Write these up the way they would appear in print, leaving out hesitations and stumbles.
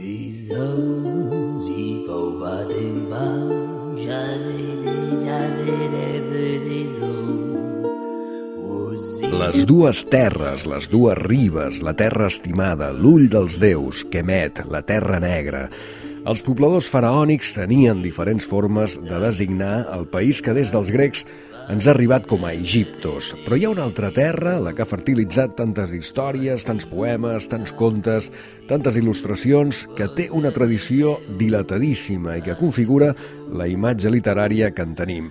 Les dues terres, les dues ribes, la terra estimada, l'ull dels déus, Kemet, la terra negra. Els pobladors faraònics tenien diferents formes de designar el país que des dels grecs ens ha arribat com a Egiptos. Però hi ha una altra terra, la que ha fertilitzat tantes històries, tants poemes, tants contes, tantes il·lustracions, que té una tradició dilatadíssima i que configura la imatge literària que en tenim.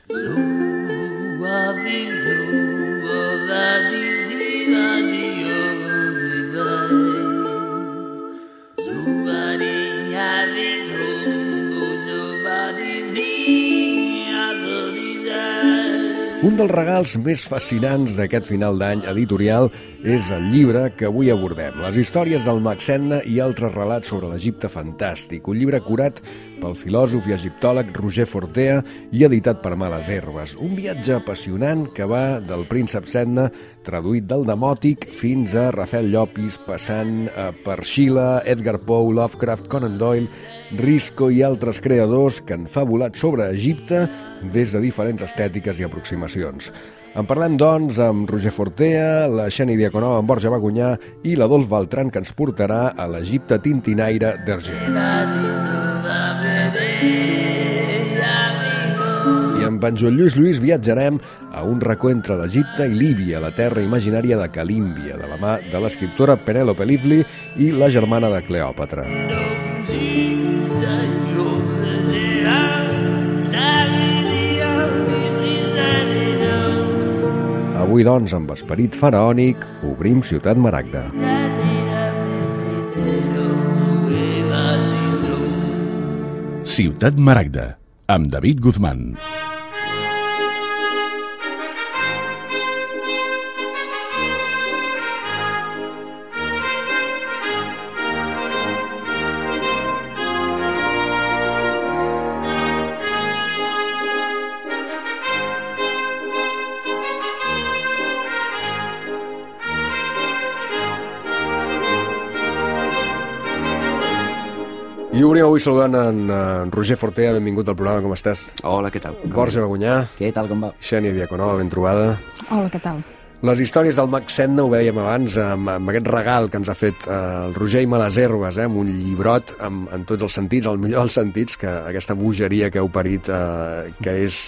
Un dels regals més fascinants d'aquest final d'any editorial és el llibre que avui abordem, Les històries del Mag Sedna i altres relats sobre l'Egipte fantàstic, un llibre curat pel filòsof i egiptòleg Roger Fortea i editat per Males Herbes. Un viatge apassionant que va del príncep Sedna, traduït del Demòtic, fins a Rafael Llopis, passant per Schiller, Edgar Poe, Lovecraft, Conan Doyle, Risco i altres creadors que han fabulat sobre Egipte des de diferents estètiques i aproximacions. En parlem, doncs, amb Roger Fortea, la Xènia Diaconova, amb Borja Bagunyà i l'Adolf Beltran, que ens portarà a l'Egipte tintinaire d'Hergé. I amb en Joan Lluís viatjarem a un racó entre l'Egipte i Líbia, la terra imaginària de Calímbia, de la mà de l'escriptora Penélope Lively i la germana de Cleòpatra. Avui, doncs, amb esperit faraònic, obrim Ciutat Maragda. Ciutat Maragda, amb David Guzmán. I obrim avui saludant en Roger Fortea, benvingut al programa, com estàs? Hola, què tal? Borja Bagunyà. Què tal, com va? Xènia Diaconova, ben trobada. Hola, què tal? Les històries del Mag Sedna, ho dèiem abans, amb aquest regal que ens ha fet el Roger i Males Herbes, amb un llibrot en tots els sentits, el millor dels sentits, que aquesta bogeria que heu parit, que és,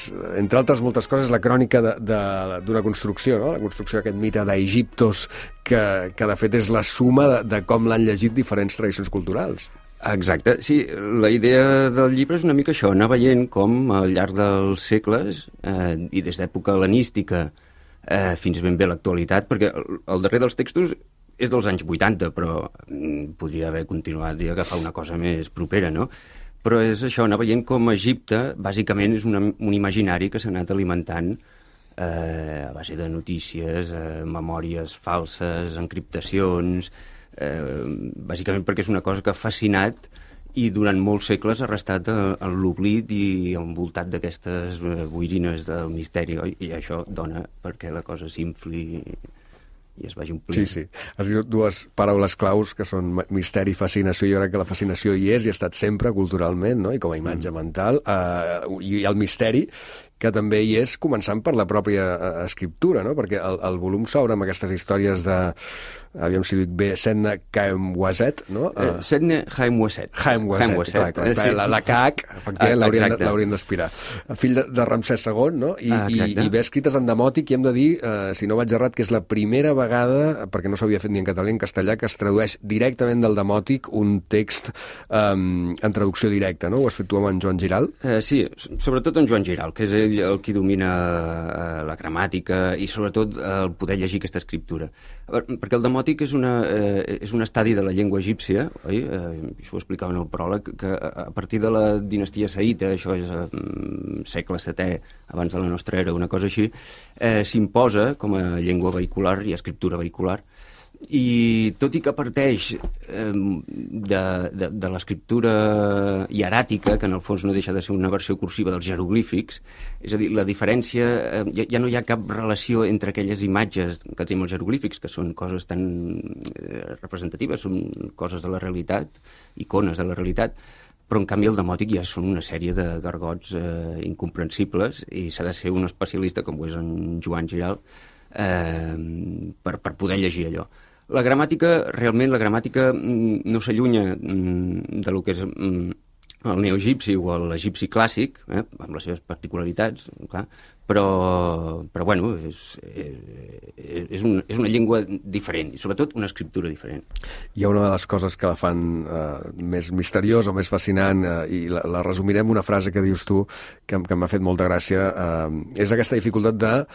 entre altres moltes coses, la crònica d'una construcció, no? La construcció d'aquest mite d'Egiptos, que de fet és la suma de com l'han llegit diferents tradicions culturals. Exacte, sí, la idea del llibre és una mica això, anar veient com al llarg dels segles, i des d'època hel·lenística fins ben bé l'actualitat, perquè el darrer dels textos és dels anys 80, però podria haver continuat i agafar una cosa més propera, no? Però és això, anar veient com Egipte, bàsicament, és un imaginari que s'ha anat alimentant a base de notícies, memòries falses, encriptacions, bàsicament perquè és una cosa que ha fascinat i durant molts segles ha restat en l'oblit i envoltat d'aquestes boirines del misteri, oi? I això dona perquè la cosa s'infli i es vagi omplint. Sí. Has dit dues paraules claus que són misteri i fascinació. Jo crec que la fascinació hi és i ha estat sempre culturalment, no? I com a imatge mental, i el misteri que també hi és, començant per la pròpia escriptura, no? Perquè el volum s'obre amb aquestes històries de, aviam si dic bé, Sedna Khaemwaset, no? Sedna Khaemwaset. Khaemwaset, clar. La Khaak, efectivament, l'hauríem d'aspirar. Fill de Ramsès II, no? I ve escrites en demòtic, i hem de dir, si no vaig errat, que és la primera vegada, perquè no s'havia fet ni en català ni en castellà, que es tradueix directament del demòtic un text en traducció directa, no? Ho has fet tu amb en Joan Giral? Sí, sobretot en Joan Giral, que és ell el qui domina la gramàtica i sobretot el poder llegir aquesta escriptura. Perquè el demòtic és un estadi de la llengua egípcia, oi? Això ho explicava en el pròleg, que a partir de la dinastia saïta, això és segle VII, abans de la nostra era, una cosa així, s'imposa com a llengua vehicular i escriptura vehicular. I tot i que parteix de l'escriptura hieràtica, que en el fons no deixa de ser una versió cursiva dels jeroglífics, és a dir, la diferència, ja no hi ha cap relació entre aquelles imatges que tenim els jeroglífics, que són coses tan representatives, són coses de la realitat, icones de la realitat, però en canvi el demòtic ja són una sèrie de gargots incomprensibles i s'ha de ser un especialista, com ho és en Joan Giral, per poder llegir allò. La gramàtica, realment, no s'allunya de lo que és el neoegipci o l'egipci clàssic, amb les seves particularitats, clar, però bueno, és una llengua diferent, i sobretot una escriptura diferent. Hi ha una de les coses que la fan més misteriosa o més fascinant, i la resumirem una frase que dius tu, que m'ha fet molta gràcia, és aquesta dificultat de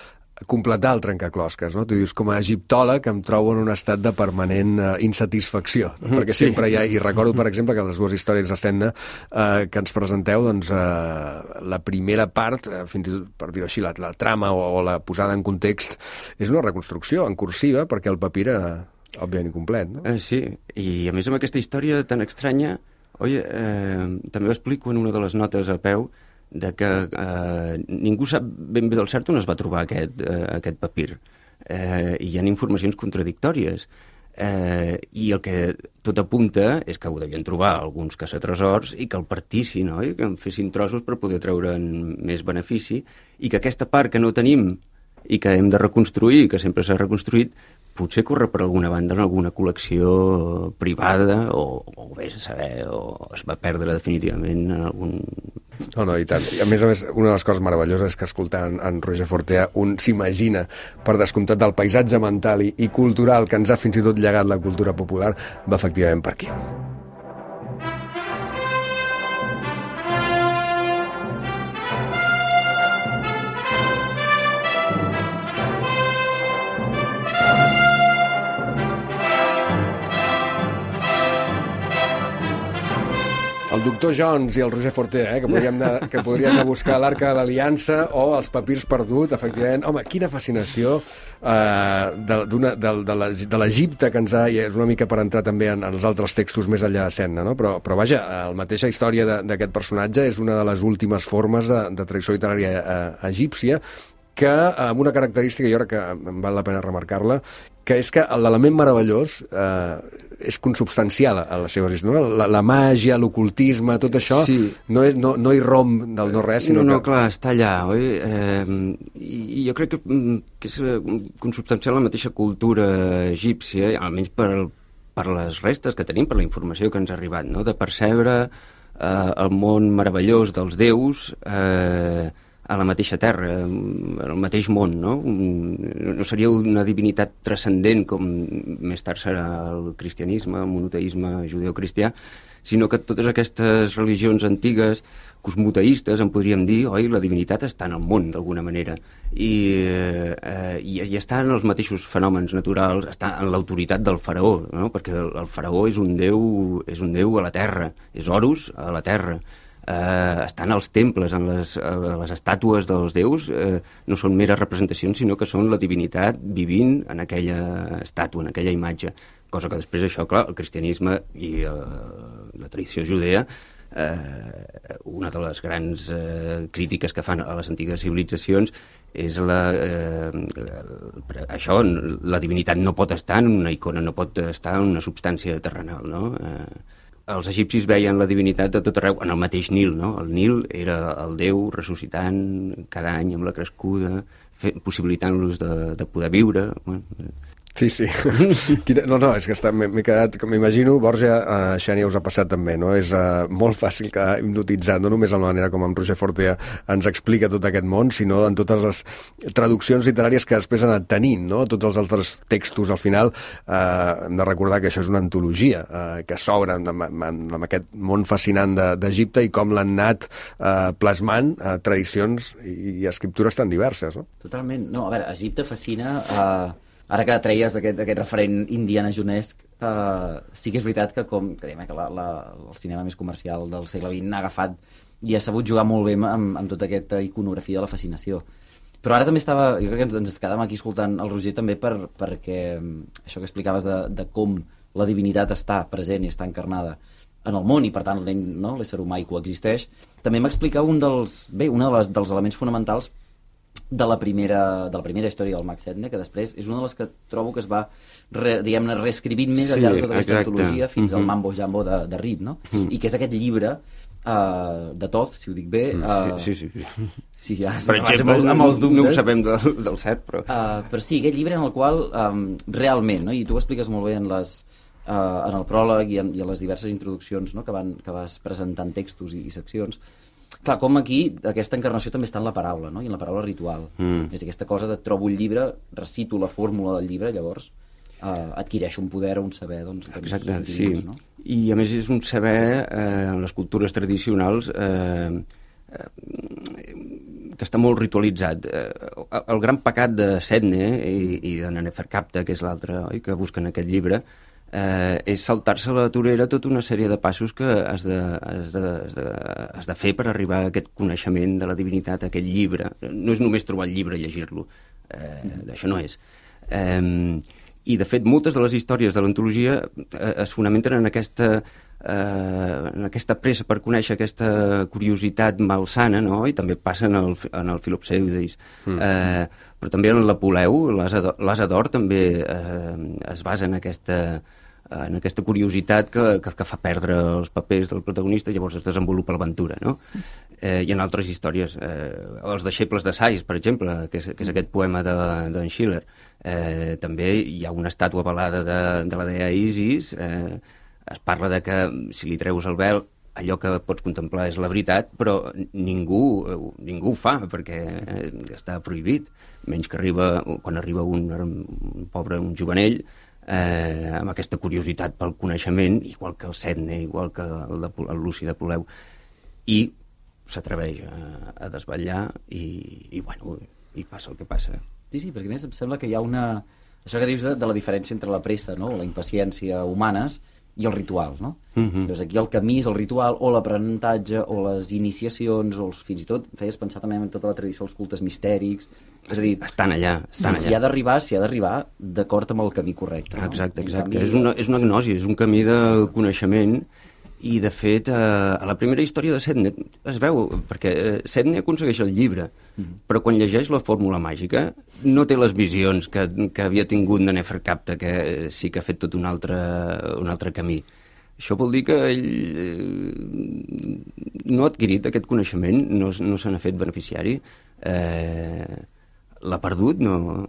completar el trencaclosques, no? Tu dius, com a egiptòleg em trobo en un estat de permanent insatisfacció, no? Perquè sempre hi ha, i recordo, per exemple, que les dues històries d'Estenda que ens presenteu, doncs la primera part, fins i tot, per dir-ho així, la trama o la posada en context, és una reconstrucció en cursiva, perquè el papir era, òbviament, incomplet, no? Sí, i a més amb aquesta història tan estranya, també ho explico en una de les notes a peu, de que ningú sap ben bé del cert on es va trobar aquest papir. I hi ha informacions contradictòries. I el que tot apunta és que ho devien trobar alguns caçatresors i que el partissin, oi? Que en fessin trossos per poder treure'n més benefici, i que aquesta part que no tenim i que hem de reconstruir, que sempre s'ha reconstruït, potser corre per alguna banda en alguna col·lecció privada o vés a saber, o es va perdre definitivament en algun... No, i tant. I a més, una de les coses meravelloses és que escoltant en Roger Fortea un s'imagina, per descomptat, del paisatge mental i cultural que ens ha fins i tot llegat la cultura popular, va efectivament per aquí. El doctor Jones i el Roger Fortea, que podríem anar a buscar l'Arca de l'Aliança o els papirs perduts, efectivament. Home, quina fascinació de l'Egipte que ens ha... I és una mica per entrar també en els altres textos més enllà de Senda, no? Però vaja, la mateixa història d'aquest personatge és una de les últimes formes de tradició literària egípcia, que amb una característica, jo crec que val la pena remarcar-la, que és que l'element meravellós és consubstancial a les seves històries. La màgia, l'ocultisme, tot això no hi romp del no res, sinó que... clar, està allà, oi? I jo crec que és consubstancial a la mateixa cultura egípcia, almenys per les restes que tenim, per la informació que ens ha arribat, no? De percebre el món meravellós dels déus a la mateixa terra, al mateix món, no? No seria una divinitat transcendent com més tard serà el cristianisme, el monoteisme judeocristià, sinó que totes aquestes religions antigues, cosmoteistes, en podríem dir, oi, la divinitat està en el món, d'alguna manera, i està en els mateixos fenòmens naturals, està en l'autoritat del faraó, no? Perquè el faraó és un déu a la terra, és Horus a la terra. Estan als temples, en les estàtues dels déus, no són meres representacions, sinó que són la divinitat vivint en aquella estàtua, en aquella imatge. Cosa que després això, clar, el cristianisme i la tradició judea, una de les grans crítiques que fan a les antigues civilitzacions és això, la divinitat no pot estar en una icona, no pot estar en una substància terrenal, no? Els egipcis veien la divinitat de tot arreu, en el mateix Nil, no? El Nil era el déu ressuscitant cada any amb la crescuda, possibilitant-los de poder viure. Sí. No, és que m'he quedat, com m'imagino, Borja, Xènia, us ha passat també, no? És molt fàcil quedar hipnotitzat, no només en la manera com en Roger Fortea ens explica tot aquest món, sinó en totes les traduccions literàries que després han anat tenint, no? Tots els altres textos, al final, hem de recordar que això és una antologia que s'obre amb aquest món fascinant d'Egipte i com l'han anat plasmant tradicions i escriptures tan diverses, no? Totalment. No, a veure, Egipte fascina... Ara que treies aquest referent indiana jonesc, sí que és veritat que el cinema més comercial del segle XX ha agafat i ha sabut jugar molt bé amb tota aquesta iconografia de la fascinació. Però ara també jo crec que ens quedàvem aquí escoltant el Roger també perquè això que explicaves de com la divinitat està present i està encarnada en el món i per tant l'ésser humà hi coexisteix, també m'explica un dels elements fonamentals de la primera història del Max Edne, que després és una de les que trobo que es va reescrivint més al llarg de tota aquesta antologia fins al Mambo Jambo de Reed, no? I que és aquest llibre de Toth, si ho dic bé. Sí, ja, per exemple, amb els dubtes. No ho sabem del cert, però... Però sí, aquest llibre en el qual realment, no? I tu ho expliques molt bé en el pròleg i en les diverses introduccions, no? que vas presentant textos i seccions. Clar, com aquí aquesta encarnació també està en la paraula, no? I en la paraula ritual. És aquesta cosa de trobo el llibre, recito la fórmula del llibre, llavors adquireixo un poder o un saber, doncs... Exacte, sí. No? I a més és un saber en les cultures tradicionals que està molt ritualitzat. El gran pecat de Sedne i de Neferkapta, que és l'altre que busquen aquest llibre, és saltar-se a la torera tota una sèrie de passos que has de fer per arribar a aquest coneixement de la divinitat, a aquest llibre. No és només trobar el llibre i llegir-lo, d'això no és. I, de fet, moltes de les històries de l'antologia es fonamenten en aquesta pressa per conèixer, aquesta curiositat malsana, no? I també passa en el Filopseudis. Però també en l'Apuleu, l'Asa d'Or també es basa en aquesta curiositat que fa perdre els papers del protagonista, llavors es desenvolupa l'aventura, no? I en altres històries, els deixebles de Sais, per exemple, que és aquest poema d'en Schiller, també hi ha una estàtua velada de la dea Isis, es parla de que si li treus el vel allò que pots contemplar és la veritat, però ningú ho fa perquè està prohibit, menys que quan arriba un jovenell amb aquesta curiositat pel coneixement, igual que el Sedne, igual que el Luci de Poleu, i s'atreveix a desvetllar i passa el que passa. Sí, perquè a més em sembla que hi ha això que dius de la diferència entre la pressa, no? La impaciència humanes i el ritual, no? Doncs aquí el camí és el ritual o l'aprenentatge o les iniciacions o fins i tot feies pensar també en tota la tradició dels cultes mistèrics, és a dir, estan allà. S'hi ha d'arribar d'acord amb el camí correcte, no? Exacte. És una gnosi, és un camí de coneixement. I, de fet, a la primera història de Sedne es veu, perquè Sedne aconsegueix el llibre, però quan llegeix la fórmula màgica no té les visions que havia tingut de Neferkapta, que sí que ha fet tot un altre camí. Això vol dir que ell no ha adquirit aquest coneixement, no se n'ha fet beneficiari, l'ha perdut, no...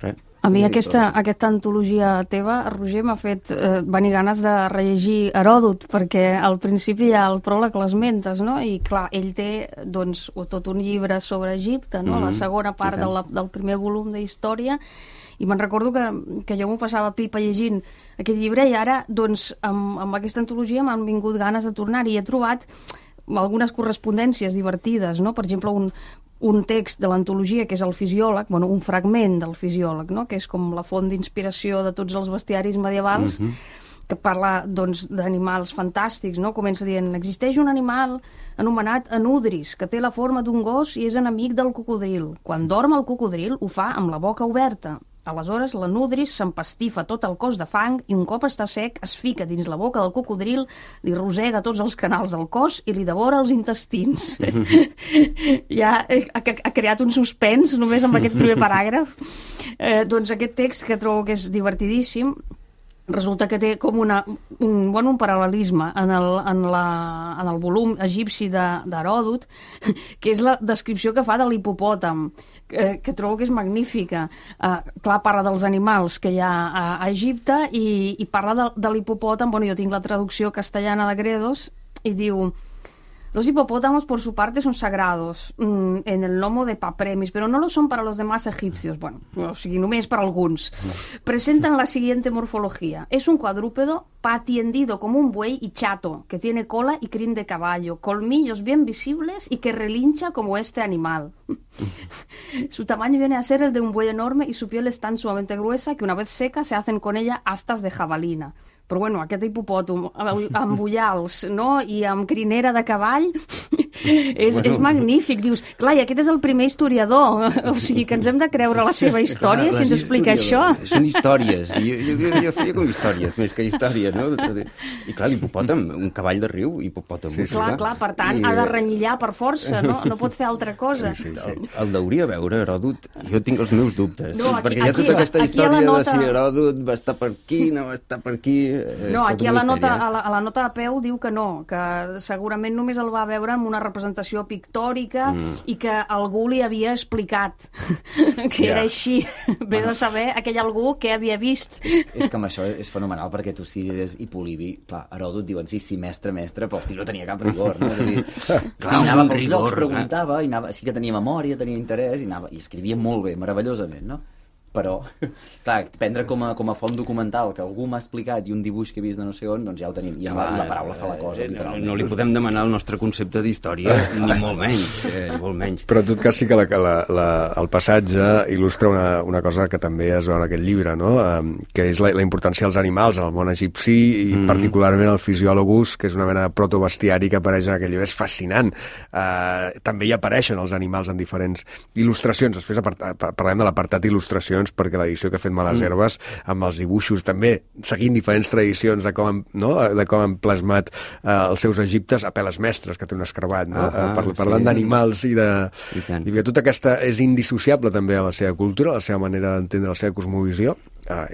res. A mi aquesta antologia teva, Roger, m'ha fet venir ganes de rellegir Heròdot, perquè al principi hi ha el pròleg, l'esmentes, no? I clar, ell té doncs, tot un llibre sobre Egipte, no? La segona part del primer volum de història, i me'n recordo que jo m'ho passava pipa llegint aquest llibre, i ara, doncs, amb aquesta antologia m'han vingut ganes de tornar-hi. He trobat algunes correspondències divertides, no? Per exemple, un text de l'antologia que és el Fisiòleg, un fragment del Fisiòleg, no? Que és com la font d'inspiració de tots els bestiaris medievals, que parla doncs, d'animals fantàstics, no? Comença dient: existeix un animal anomenat anudris, que té la forma d'un gos i és enemic del cocodril. Quan dorm el cocodril ho fa amb la boca oberta. Aleshores, la nudris s'empastifa tot el cos de fang i un cop està sec es fica dins la boca del cocodril, li rosega tots els canals del cos i li devora els intestins. Ja ha creat un suspens només amb aquest primer paràgraf. Doncs aquest text, que trobo que és divertidíssim, resulta que té com un paral·lelisme en el volum egipci d'Heròdot, que és la descripció que fa de l'hipopòtam, que trobo que és magnífica. Clar, parla dels animals que hi ha a Egipte i parla de l'hipopòtam. Jo tinc la traducció castellana de Gredos i diu: los hipopótamos por su parte son sagrados en el lomo de Papremis, pero no lo son para los demás egipcios. O sigui, només per alguns. Presentan la siguiente morfología. Es un cuadrúpedo patiendido como un buey y chato, que tiene cola y crin de caballo, colmillos bien visibles y que relincha como este animal. Su tamaño viene a ser el de un buey enorme y su piel es tan sumamente gruesa que una vez seca se hacen con ella astas de jabalina. Però aquest hipopòtam amb ullals, no? I amb crinera de cavall És magnífic. Dius, clar, i aquest és el primer historiador. O sigui, que ens hem de creure la seva història si ens explica això. Són històries. Jo feia com històries, més que històries, no? I clar, l'hipopòtam, un cavall de riu, hipopòtam. Clar, per tant, ha de renyillar per força, no pot fer altra cosa. El deuria veure, Heròdot. Jo tinc els meus dubtes. Perquè hi ha tota aquesta aquí història de si Heròdot va estar per aquí, no va estar per aquí... No, aquí a la nota de peu diu que no, que segurament només el va veure amb una representació pictòrica i que algú li havia explicat que era així. Vés a saber aquell algú que havia vist. És que amb això és fenomenal, perquè Tucídides i Polibi, clar, Heròdot diuen sí, mestre, però el tio no tenia cap rigor, no? És a dir, sí, anava pels llocs, preguntava, sí que tenia memòria, tenia interès, i escrivia molt bé, meravellosament, no? Però, clar, prendre com a font documental que algú m'ha explicat i un dibuix que he vist de no sé on, doncs ja ho tenim. I la paraula fa la cosa, literalment. No li podem demanar el nostre concepte d'història, ni molt menys. Però en tot cas sí que el passatge il·lustra una cosa que també es veu en aquest llibre, no? Que és la importància dels animals en el món egipci i particularment el Physiologus, que és una mena de protobestiari que apareix en aquest llibre. És fascinant. També hi apareixen els animals en diferents il·lustracions. Després parlem de l'apartat il·lustracions, perquè l'edició que ha fet Malaserves amb els dibuixos també seguint diferents tradicions de com han plasmat els seus egiptes a peles mestres, que té un escarabat, no? Parlant d'animals i que tota aquesta és indissociable també a la seva cultura, a la seva manera d'entendre la seva cosmovisió.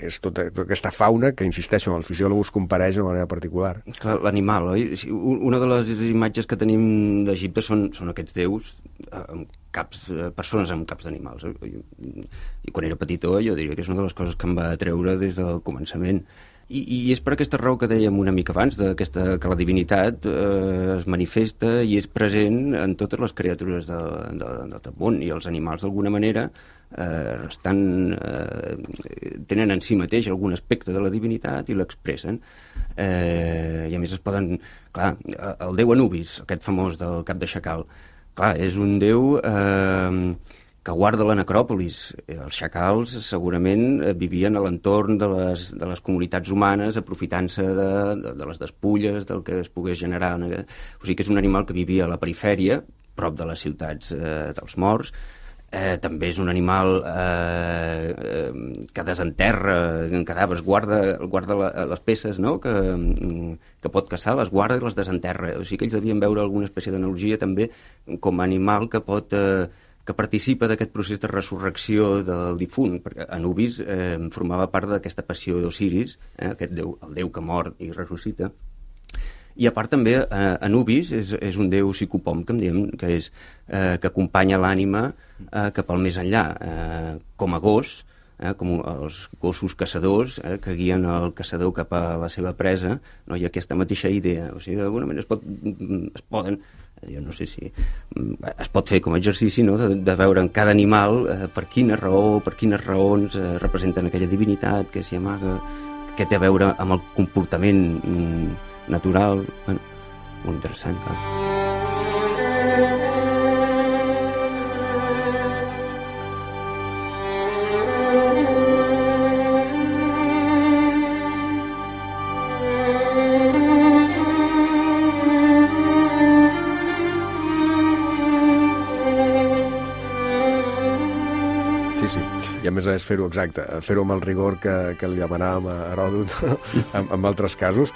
És tota aquesta fauna que, insisteixo, el Physiologus compareix d'una manera particular. Clar, l'animal, oi? Una de les imatges que tenim d'Egipte són aquests déus amb caps, persones amb caps d'animals. I quan era petitó jo diria que és una de les coses que em va atreure des del començament. I és per aquesta raó que dèiem una mica abans, que la divinitat es manifesta i és present en totes les criatures del món, i els animals d'alguna manera tenen en si mateix algun aspecte de la divinitat i l'expressen. I a més es poden... Clar, el déu Anubis, aquest famós del cap de xacal, clar, és un déu que guarda la necròpolis. Els xacals segurament vivien a l'entorn de les comunitats humanes, aprofitant-se de les despulles, del que es pogués generar. O sigui que és un animal que vivia a la perifèria, prop de les ciutats dels morts. També és un animal que desenterra cadàvers, guarda les peces, no? que pot caçar, les guarda i les desenterra. O sigui que ells devien veure alguna espècie d'analogia també com a animal que participa d'aquest procés de resurrecció del difunt, perquè Anubis formava part d'aquesta passió d'Osiris, aquest déu, el déu que mor i ressuscita. I a part també Anubis és un déu psicopom, que en diem, que acompanya l'ànima cap al més enllà, com a gos, com els gossos caçadors que guien el caçador cap a la seva presa, no? Hi ha aquesta mateixa idea. O sigui, d'alguna manera es poden, jo no sé si es pot fer com a exercici, no? de veure en cada animal per quina raó, per quines raons representen aquella divinitat que s'hi amaga, que té a veure amb el comportament natural. Bueno, molt interessant, clar. I a més fer-ho exacte, fer-ho amb el rigor que li demanàvem a Heròdot en altres casos,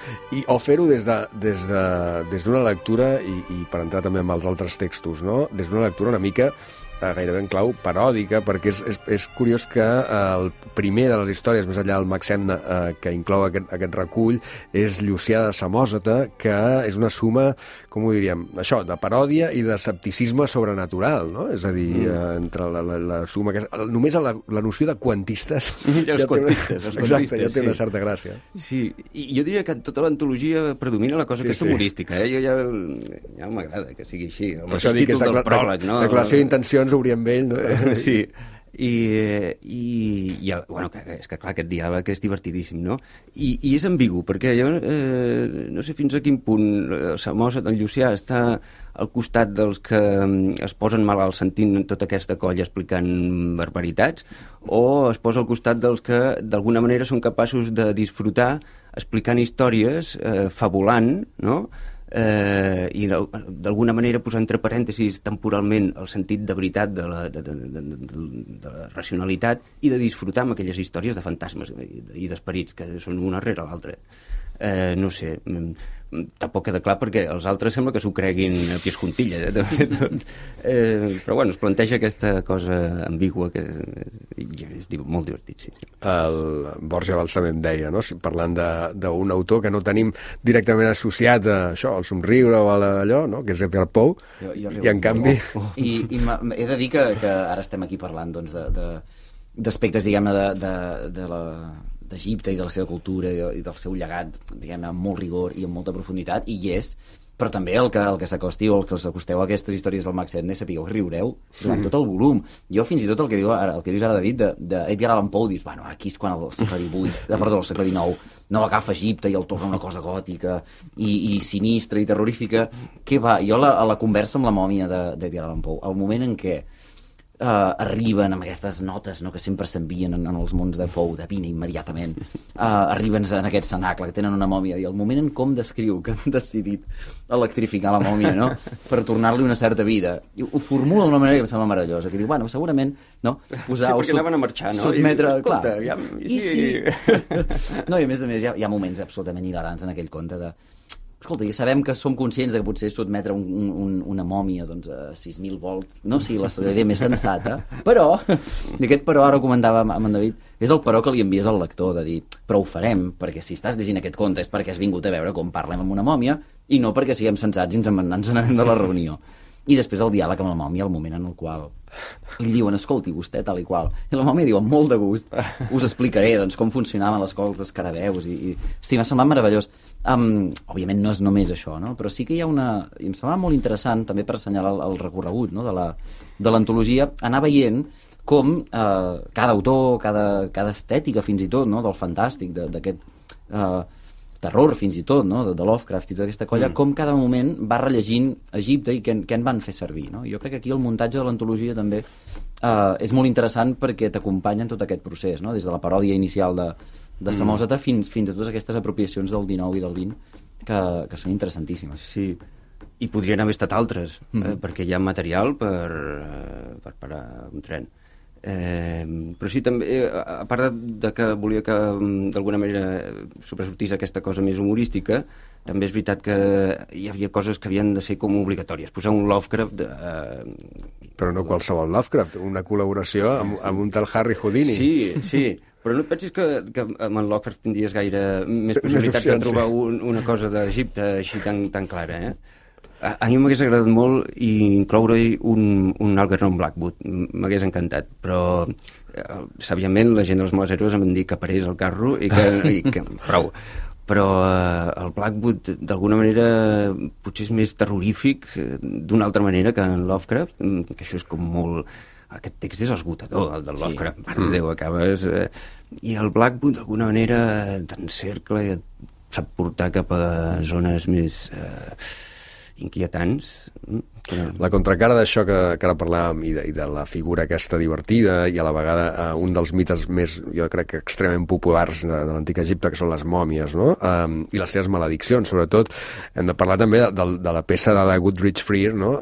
o fer-ho des d'una lectura, i per entrar també amb els altres textos, no? Des d'una lectura una mica gairebé en clau paròdica, perquè és curiós que el primer de les històries, més enllà del Maxenna, que inclou aquest recull, és Llucià de Samòsata, que és una suma, com ho diríem, això, de paròdia i d'escepticisme sobrenatural, no? És a dir, entre la suma... Només la noció de quantistes... Els quantistes. Exacte, ja té una certa gràcia. Sí, i jo diria que tota l'antologia predomina la cosa aquesta humorística, ja m'agrada que sigui així. El mateix títol del pròleg, no? Declaració d'intencions obrir amb ell, no? Sí, bueno, és que clar, aquest diàleg és divertidíssim, no? I és ambigu, perquè jo no sé fins a quin punt Samòsata, en Llucià, està al costat dels que es posen malalt sentint tota aquesta colla explicant barbaritats, o es posa al costat dels que d'alguna manera són capaços de disfrutar explicant històries, fabulant, no?, i d'alguna manera posar entre parèntesis temporalment el sentit de veritat de la racionalitat i de disfrutar amb aquelles històries de fantasmes i d'esperits que són una rere l'altra. No sé, tampoc queda clar perquè els altres sembla que s'ho creguin a pies juntilles, però bueno, es planteja aquesta cosa ambigua que és molt divertit, sí. El Borja Valls també em deia, no? Parlant d'un autor que no tenim directament associat a això, al somriure o a allò, no? Que és Edgar Poe, i en canvi... I he de dir que ara estem aquí parlant doncs, d'aspectes, diguem-ne, d'Egipte i de la seva cultura i del seu llegat, diguem-ne, amb molt rigor i amb molta profunditat, i hi és, però també el que s'acosti o el que us acosteu a aquestes històries del Max Edney, sapigueu, riureu durant tot el volum. Jo fins i tot el que dius ara, David, d'Edgar Allan Poe, dius, bueno, aquí és quan el segle XIX no agafa Egipte i el torna una cosa gòtica i sinistra i terrorífica. Què va? Jo a la conversa amb la mòmia d'Edgar Allan Poe, el moment en què arriben amb aquestes notes, no, que sempre s'envien en els mons de Poe, de vine immediatament, arriben en aquest cenacle que tenen una mòmia, i el moment en com descriu que han decidit electrificar la mòmia, no?, per tornar-li una certa vida, i ho formula d'una manera que em sembla meravellosa, que diu, bueno, segurament, no, posar... Sí, perquè anaven a marxar, no? Sotmetre, escolta, clar, No, i a més hi ha moments absolutament hilarants en aquell conte de... Escolta, ja sabem que som conscients de que potser sotmetre una mòmia doncs, a 6.000 volts no sigui la idea més sensata, però, i aquest però ara ho comentava amb en David, és el però que li envies al lector, de dir, però ho farem, perquè si estàs llegint aquest conte és perquè has vingut a veure com parlem amb una mòmia i no perquè siguem sensats i ens n'anem de la reunió. I després el diàleg amb la mòmia, el moment en el qual li diuen, escolti, vostè tal i qual, i la mòmia diu, amb molt de gust, us explicaré doncs, com funcionaven les cols d'escarabeus hosti, m'ha semblat meravellós. Òbviament no és només això, no? Però sí que hi ha i em semblava molt interessant també per assenyalar el recorregut, no? de l'antologia, anar veient com cada autor, cada estètica fins i tot, no? Del fantàstic, d'aquest terror fins i tot, no? de Lovecraft i tota aquesta colla, com cada moment va rellegint Egipte i què en van fer servir, no? Jo crec que aquí el muntatge de l'antologia també és molt interessant perquè t'acompanya en tot aquest procés, no? Des de la paròdia inicial de Samòsata fins a totes aquestes apropiacions del 19 i del 20 que són interessantíssimes. Sí, i podrien haver estat altres, perquè hi ha material per parar un tren. Però sí, també, a part de que volia que d'alguna manera sobresortís aquesta cosa més humorística, també és veritat que hi havia coses que havien de ser com obligatòries. Posar un Lovecraft... Però no qualsevol Lovecraft, una col·laboració amb un tal Harry Houdini. Sí, però no et pensis que amb en Lovecraft tindries gaire més possibilitats de trobar una cosa d'Egipte així tan clara, A mi m'hagués agradat molt incloure-hi un Algernon Blackwood, m'hagués encantat, però sàviament la gent dels Males Heroes em van dir que parés el carro i que prou. Però el Blackwood d'alguna manera potser és més terrorífic d'una altra manera que en Lovecraft, que això és com molt... Aquest text és esgotador, el del Lovecraft, mare de Déu, acabes... I el Blackwood d'alguna manera t'encercla i et sap portar cap a zones més... inquietants. La contracara d'això que ara parlàvem i de la figura aquesta divertida i a la vegada un dels mites més, jo crec que extremament populars de l'antic Egipte, que són les mòmies, no? I les seves malediccions, sobretot. Hem de parlar també de la peça de la Goodrich Freer, no?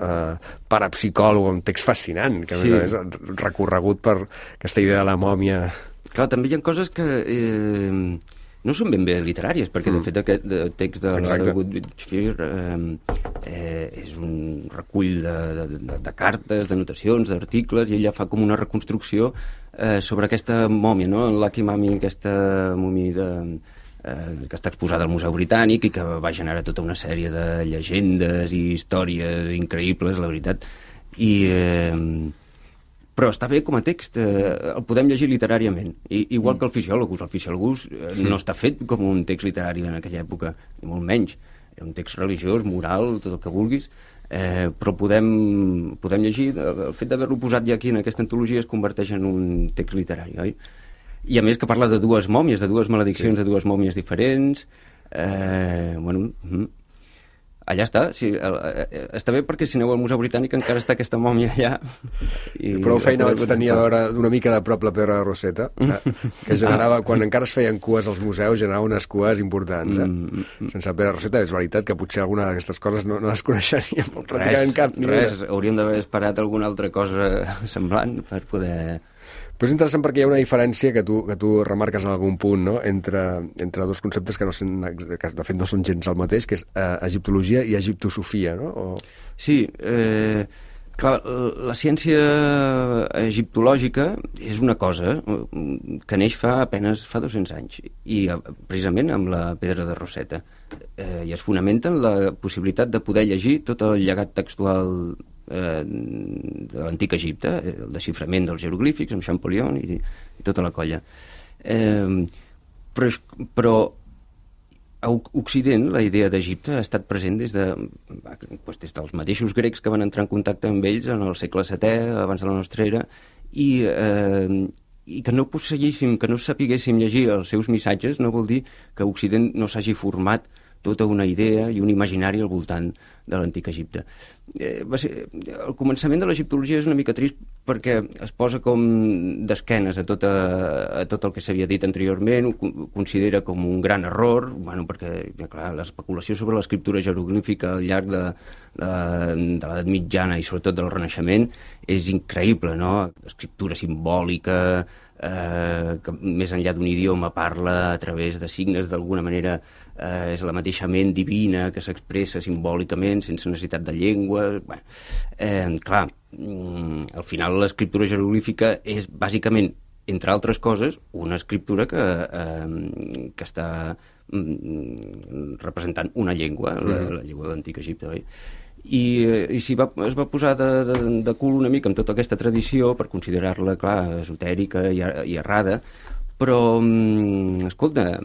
Parapsicòleg, un text fascinant, que a més recorregut per aquesta idea de la mòmia. Clar, també hi ha coses que... no són ben bé literàries, perquè de fet aquest text de la Goodrich Freer és un recull de cartes, d'anotacions, d'articles, i ella fa com una reconstrucció sobre aquesta mòmia, no? Lucky Mummy, aquesta mòmia que està exposada al Museu Britànic i que va generar tota una sèrie de llegendes i històries increïbles, la veritat. Però està bé com a text, el podem llegir literàriament, igual que el Fisiòlogus. El Fisiòlogus no està fet com un text literari en aquella època, ni molt menys. Era un text religiós, moral, tot el que vulguis, però podem llegir. El fet d'haver-lo posat ja aquí en aquesta antologia es converteix en un text literari, oi? I a més que parla de dues mòmies, de dues malediccions, de dues mòmies diferents. allà està, sí, està bé perquè si aneu al Museu Britànic encara està aquesta mòmia allà. I prou feina vaig tenir a veure d'una mica de prop la Pedra de Roseta, que generava, quan encara es feien cues als museus, generava unes cues importants. Sense la Pedra de Roseta és veritat que potser alguna d'aquestes coses no les coneixeríem pràcticament cap. Res, hauríem d'haver esperat alguna altra cosa semblant per poder... Però és interessant perquè hi ha una diferència que tu remarques en algun punt, no? entre dos conceptes que de fet no són gens el mateix, que és egiptologia i egiptosofia, no? Sí, clar, la ciència egiptològica és una cosa que neix fa 200 anys, i precisament amb la Pedra de Roseta, i es fonamenta en la possibilitat de poder llegir tot el llegat textual de l'antic Egipte, el desxiframent dels jeroglífics amb Champollion i tota la colla. Però a Occident la idea d'Egipte ha estat present des dels mateixos grecs que van entrar en contacte amb ells en el segle VII, abans de la nostra era, i que no posseguéssim, que no sapiguéssim llegir els seus missatges no vol dir que Occident no s'hagi format tota una idea i un imaginari al voltant de l'antic Egipte. El començament de l'egiptologia és una mica trist perquè es posa com d'esquenes a tot el que s'havia dit anteriorment, ho considera com un gran error, perquè clar, l'especulació sobre l'escriptura jeroglífica al llarg de l'edat mitjana i sobretot del Renaixement és increïble, no? Escriptura simbòlica, que més enllà d'un idioma parla a través de signes, d'alguna manera és la mateixa ment divina que s'expressa simbòlicament sense necessitat de llengua. Clar, al final l'escriptura jeroglífica és bàsicament, entre altres coses, una escriptura que està representant una llengua, la llengua de l'antic Egipte, oi? I es va posar de cul una mica amb tota aquesta tradició per considerar-la, clar, esotèrica i errada, però, escolta,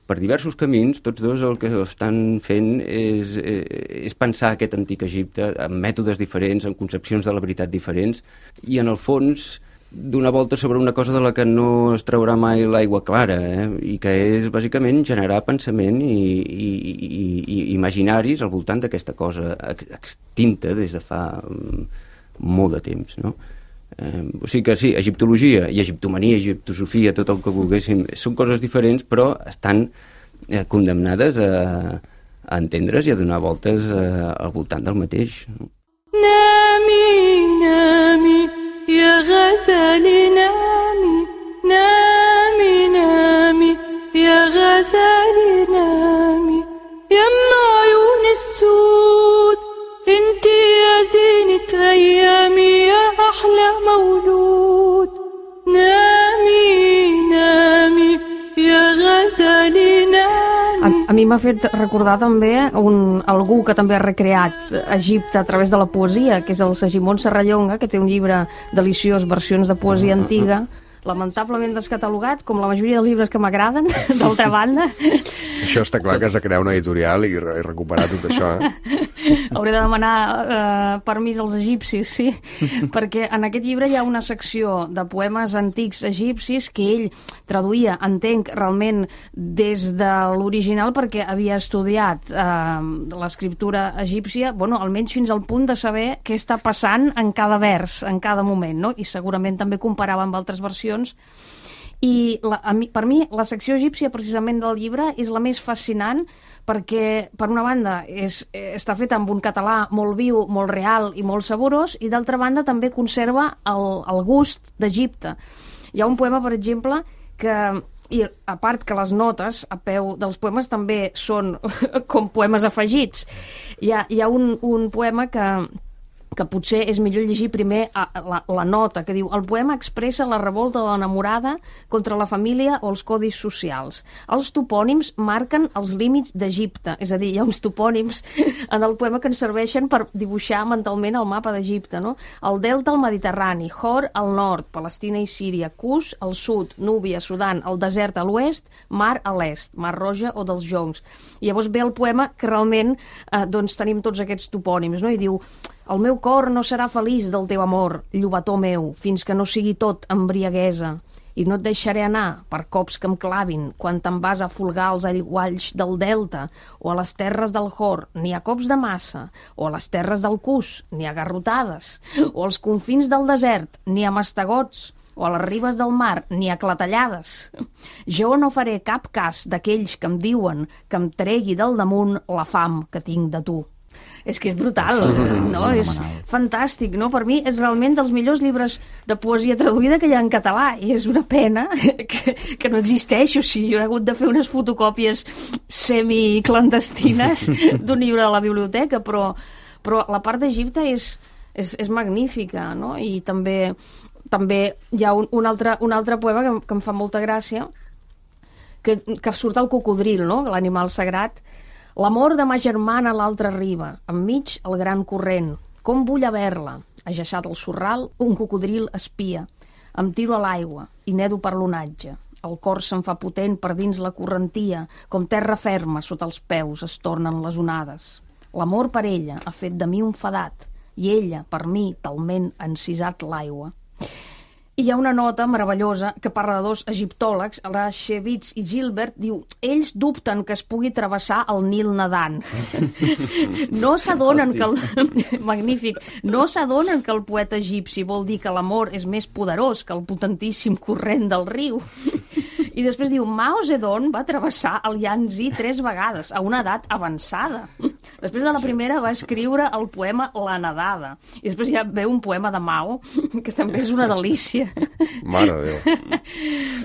per diversos camins, tots dos el que estan fent és pensar aquest antic Egipte amb mètodes diferents, amb concepcions de la veritat diferents, i en el fons donar volta sobre una cosa de la que no es traurà mai l'aigua clara, i que és bàsicament generar pensament i imaginaris al voltant d'aquesta cosa extinta des de fa molt de temps, no? O sigui que sí, egiptologia i egiptomania, egiptosofia, tot el que volguéssim, són coses diferents, però estan condemnades a entendre's i a donar voltes al voltant del mateix. Nami, nami, يا غزالي نامي نامي نامي يا غزالي نامي يما عيون السود انتي يا زينة أيامي يا أحلى مولود نامي نامي يا غزالي نامي. A mi m'ha fet recordar també algú que també ha recreat Egipte a través de la poesia, que és el Segimon Serrallonga, que té un llibre deliciós, versions de poesia antiga, lamentablement descatalogat, com la majoria dels llibres que m'agraden, d'altra banda. Això està clar que has de crear una editorial i recuperar tot això, Hauré de demanar permís als egipcis, sí, perquè en aquest llibre hi ha una secció de poemes antics egipcis que ell traduïa, entenc, realment des de l'original, perquè havia estudiat l'escriptura egípcia, almenys fins al punt de saber què està passant en cada vers, en cada moment, no? I segurament també comparava amb altres versions. I per mi la secció egípcia precisament del llibre és la més fascinant perquè, per una banda, està feta amb un català molt viu, molt real i molt saborós, i d'altra banda també conserva el gust d'Egipte. Hi ha un poema, per exemple, i a part que les notes a peu dels poemes també són com poemes afegits. Hi ha un poema que potser és millor llegir primer la nota, que diu: el poema expressa la revolta de l'enamorada contra la família o els codis socials. Els topònims marquen els límits d'Egipte, és a dir, hi ha uns topònims en el poema que ens serveixen per dibuixar mentalment el mapa d'Egipte, no? El delta al Mediterrani, Hor al nord, Palestina i Síria, Cus al sud, Núbia, Sudan, el desert a l'oest, Mar a l'est, Mar Roja o dels Joncs. I llavors ve el poema que realment tenim tots aquests topònims, no? I diu: el meu cor no serà feliç del teu amor, llobató meu, fins que no sigui tot embriaguesa. i no et deixaré anar per cops que em clavin quan te'n vas a folgar als aigualls del delta o a les terres del Jor, ni a cops de massa, o a les terres del Cus, ni a garrotades, o als confins del desert, ni a mastegots, o a les ribes del mar, ni a clatellades. Jo no faré cap cas d'aquells que em diuen que em tregui del damunt la fam que tinc de tu. És que és brutal, no? És fantàstic, no? Per mi és realment dels millors llibres de poesia traduïda que hi ha en català, i és una pena que no existeix. O sigui, jo he hagut de fer unes fotocòpies semiclandestines d'un llibre de la biblioteca, però la part d'Egipte és magnífica, no? I també hi ha un altre poema que em fa molta gràcia, que surt el cocodril, no? L'animal sagrat. L'amor de ma germana a l'altra riba, enmig el gran corrent. Com vull haver-la? Ajaçat al sorral, un cocodril espia. Em tiro a l'aigua i nedo per l'onatge. El cor se'n fa potent per dins la correntia, com terra ferma sota els peus es tornen les onades. L'amor per ella ha fet de mi un fadat, i ella, per mi, talment ha encisat l'aigua. I hi ha una nota meravellosa que parla de dos egiptòlegs, Rashevitz i Gilbert, diu: ells dubten que es pugui travessar el Nil nedant. No s'adonen que magnífic, no s'adonen que el poeta egipci vol dir que l'amor és més poderós que el potentíssim corrent del riu. I després diu: Mao Zedong va travessar el Yangtze 3 vegades, a una edat avançada. Després de la primera va escriure el poema La nedada. I després ja ve un poema de Mao, que també és una delícia. Mare de Déu.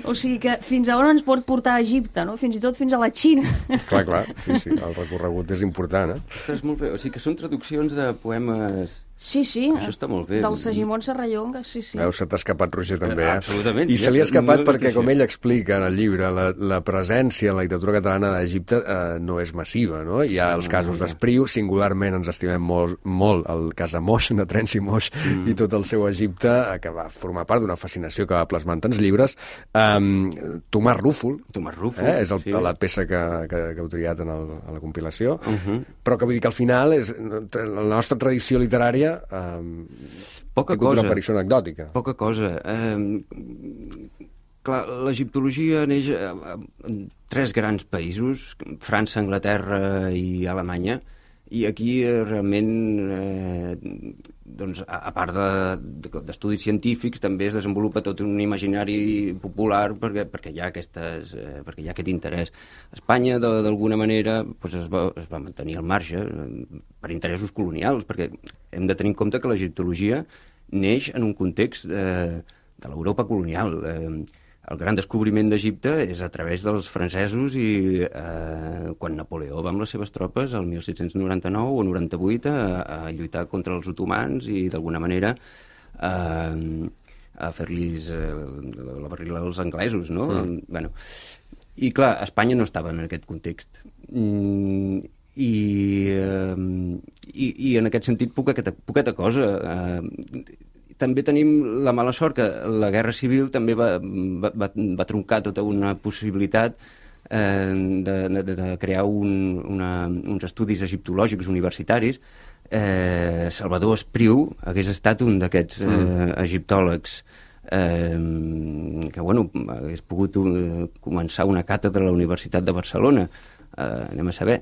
O sigui que fins a on ens pot portar a Egipte, no? Fins i tot fins a la Xina. Clar, sí, el recorregut és important, Ostres, molt bé. O sigui que són traduccions de poemes... Sí, això està molt bé. Del Segimon Serrallonga, sí. Veus, se t'ha escapat, Roger, també, Absolutament. I se li ha escapat perquè, com ell explica en el llibre, la presència en la literatura catalana d'Egipte no és massiva, no? Hi ha els casos d'Espriu, singularment ens estimem molt el cas de Moix, de Terenci Moix, i tot el seu Egipte, que va formar part d'una fascinació que va plasmar en tants llibres. Tomàs Rúfol, és la peça que heu triat en la compilació, però que vull dir que al final la nostra tradició literària poca cosa, una aparició anecdòtica. Poca cosa. Clar, l'egiptologia neix en 3 grans països, França, Anglaterra i Alemanya, i aquí realment, doncs, a part d'estudis científics, també es desenvolupa tot un imaginari popular perquè hi ha aquest interès. Espanya, d'alguna manera, doncs es va mantenir al marge per interessos colonials, perquè hem de tenir en compte que l'egiptologia neix en un context de l'Europa colonial. El gran descobriment d'Egipte és a través dels francesos i quan Napoleó va amb les seves tropes el 1799 o 98 a lluitar contra els otomans i d'alguna manera a fer-los la barrila als anglesos, no? Bueno, i clar, Espanya no estava en aquest context. I en aquest sentit poqueta cosa. També tenim la mala sort que la Guerra Civil també va truncar tota una possibilitat de crear uns estudis egiptològics universitaris. Salvador Espriu hagués estat un d'aquests egiptòlegs que, hagués pogut començar una càtedra a la Universitat de Barcelona. Anem a saber,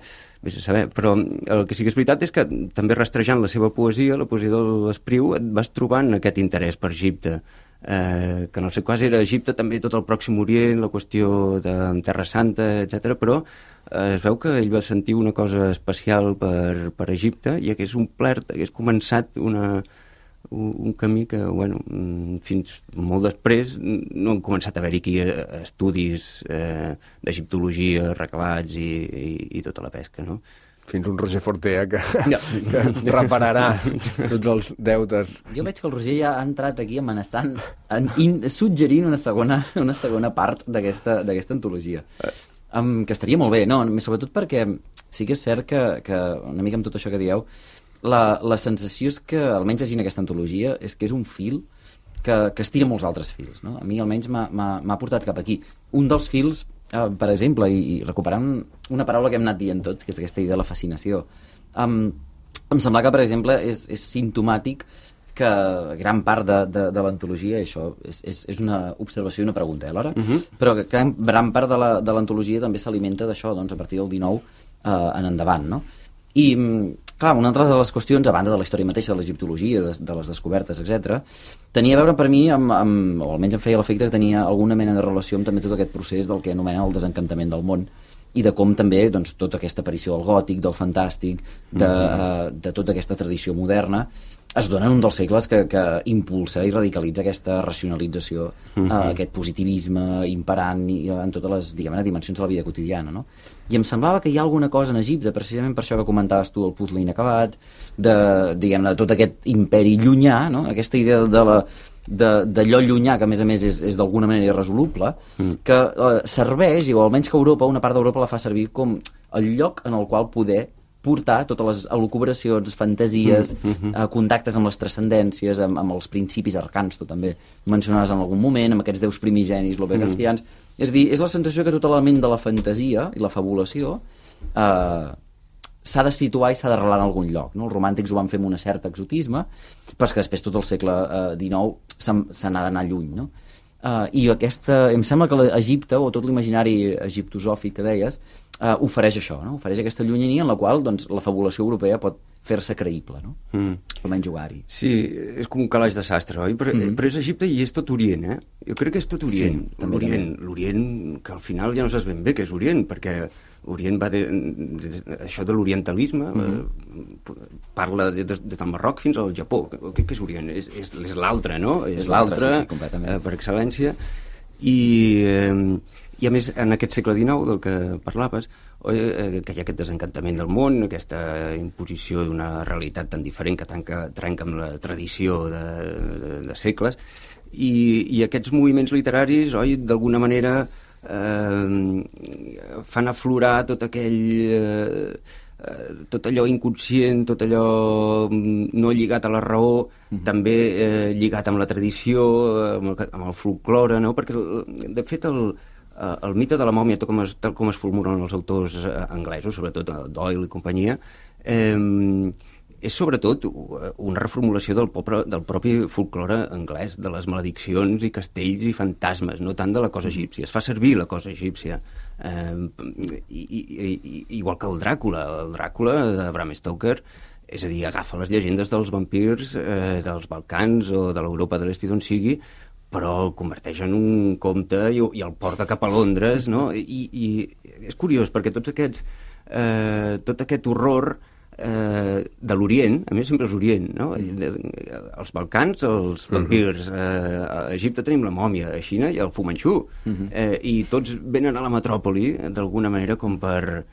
però el que sí que és veritat és que també rastrejant la seva poesia, la poesia de l'Espriu, et vas trobant aquest interès per Egipte, que en el seu cas era Egipte, també tot el Pròxim Orient, la qüestió de Terra Santa, etc. Però es veu que ell va sentir una cosa especial per Egipte i hagués omplert, hagués començat un camí que, fins molt després no han començat a haver-hi aquí estudis d'egiptologia reglats i tota la pesca, no? Fins un Roger Fortea que repararà tots els deutes. Jo veig que el Roger ja ha entrat aquí amenaçant, suggerint una segona part d'aquesta antologia. Que estaria molt bé, no? Sobretot perquè sí que és cert que una mica amb tot això que dieu, la sensació és que, almenys llegint aquesta antologia, és que és un fil que estira molts altres fils, no? A mi almenys m'ha portat cap aquí. Un dels fils, per exemple, i recuperant una paraula que hem anat dient tots, que és aquesta idea de la fascinació, em sembla que, per exemple, és simptomàtic que gran part de l'antologia, això és una observació i una pregunta, alhora, però que gran part de l'antologia també s'alimenta d'això, doncs, a partir del 19 en endavant, no? I, clar, una altra de les qüestions, a banda de la història mateixa, de l'egiptologia, de les descobertes, etc., tenia a veure per mi, o almenys em feia l'efecte que tenia alguna mena de relació amb també tot aquest procés del que anomenen el desencantament del món, i de com també doncs, tota aquesta aparició del gòtic, del fantàstic, de tota aquesta tradició moderna, es dona en un dels segles que impulsa i radicalitza aquesta racionalització, aquest positivisme imperant en totes les, diguem-ne, dimensions de la vida quotidiana, no? I em semblava que hi ha alguna cosa en Egipte, precisament per això que comentaves tu, el puzzle inacabat, diguem-ne, tot aquest imperi llunyà, no? Aquesta idea d'allò llunyà, que a més és d'alguna manera irresoluble, que serveix, o almenys que Europa, una part d'Europa la fa servir com el lloc en el qual poder portar totes les elucubracions, fantasies, contactes amb les transcendències, amb els principis arcans, tu també mencionaves en algun moment, amb aquests déus primigenis, lobegracians. És a dir, és la sensació que tot l'element de la fantasia i la fabulació s'ha de situar i s'ha d'arrelar en algun lloc, no? Els romàntics ho van fer amb un cert exotisme, però és que després tot el segle XIX se n'ha d'anar lluny, no? I em sembla que l'Egipte, o tot l'imaginari egiptosòfic que deies, ofereix això, no? Ofereix aquesta llunyania en la qual doncs, la fabulació europea pot fer-se creïble, no? Almenys jugar-hi. Sí, és com un calaix de sastre, oi? Però és Egipte i és tot Orient, eh? Jo crec que és tot Orient. Sí, l'Orient, que al final ja no saps ben bé què és Orient, perquè Orient va això de l'orientalisme, parla des del Marroc fins al Japó. Què és Orient? És l'altre, no? És l'altre, sí, completament. Per excel·lència. I a més, en aquest segle XIX del que parlaves, que hi ha aquest desencantament del món, aquesta imposició d'una realitat tan diferent que trenca amb la tradició de segles, i aquests moviments literaris, oi, d'alguna manera fan aflorar tot allò inconscient, tot allò no lligat a la raó, també lligat amb la tradició, amb el folklore, no? Perquè, de fet, el mite de la mòmia, tal com es formulen els autors anglesos, sobretot Doyle i companyia, és sobretot una reformulació del propi folklore anglès, de les malediccions i castells i fantasmes, no tant de la cosa egípcia. Es fa servir la cosa egípcia. Igual que el Dràcula de Bram Stoker, és a dir, agafa les llegendes dels vampirs dels Balcans o de l'Europa de l'Est i d'on sigui, però el converteix en un conte i el porta cap a Londres, no? I és curiós, perquè tot aquest horror de l'Orient, a més sempre és Orient, no? Els Balcans, els vampirs, a Egipte tenim la mòmia, a Xina i el Fu Manchu, i tots venen a la metròpoli d'alguna manera com per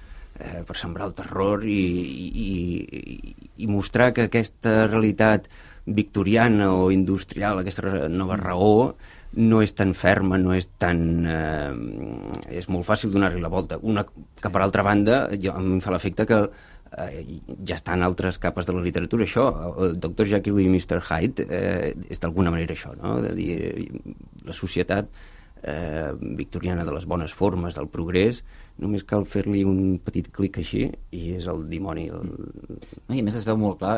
sembrar el terror i mostrar que aquesta realitat victoriana o industrial, aquesta nova raó, no és tan ferma, no és tan... és molt fàcil donar-li la volta. Que per altra banda, a mi em fa l'efecte que ja està en altres capes de la literatura, això. El Dr. Jekyll i Mr. Hyde és d'alguna manera això, no? De dir, la societat victoriana de les bones formes, del progrés, només cal fer-li un petit clic així i és el dimoni. I a més es veu molt clar,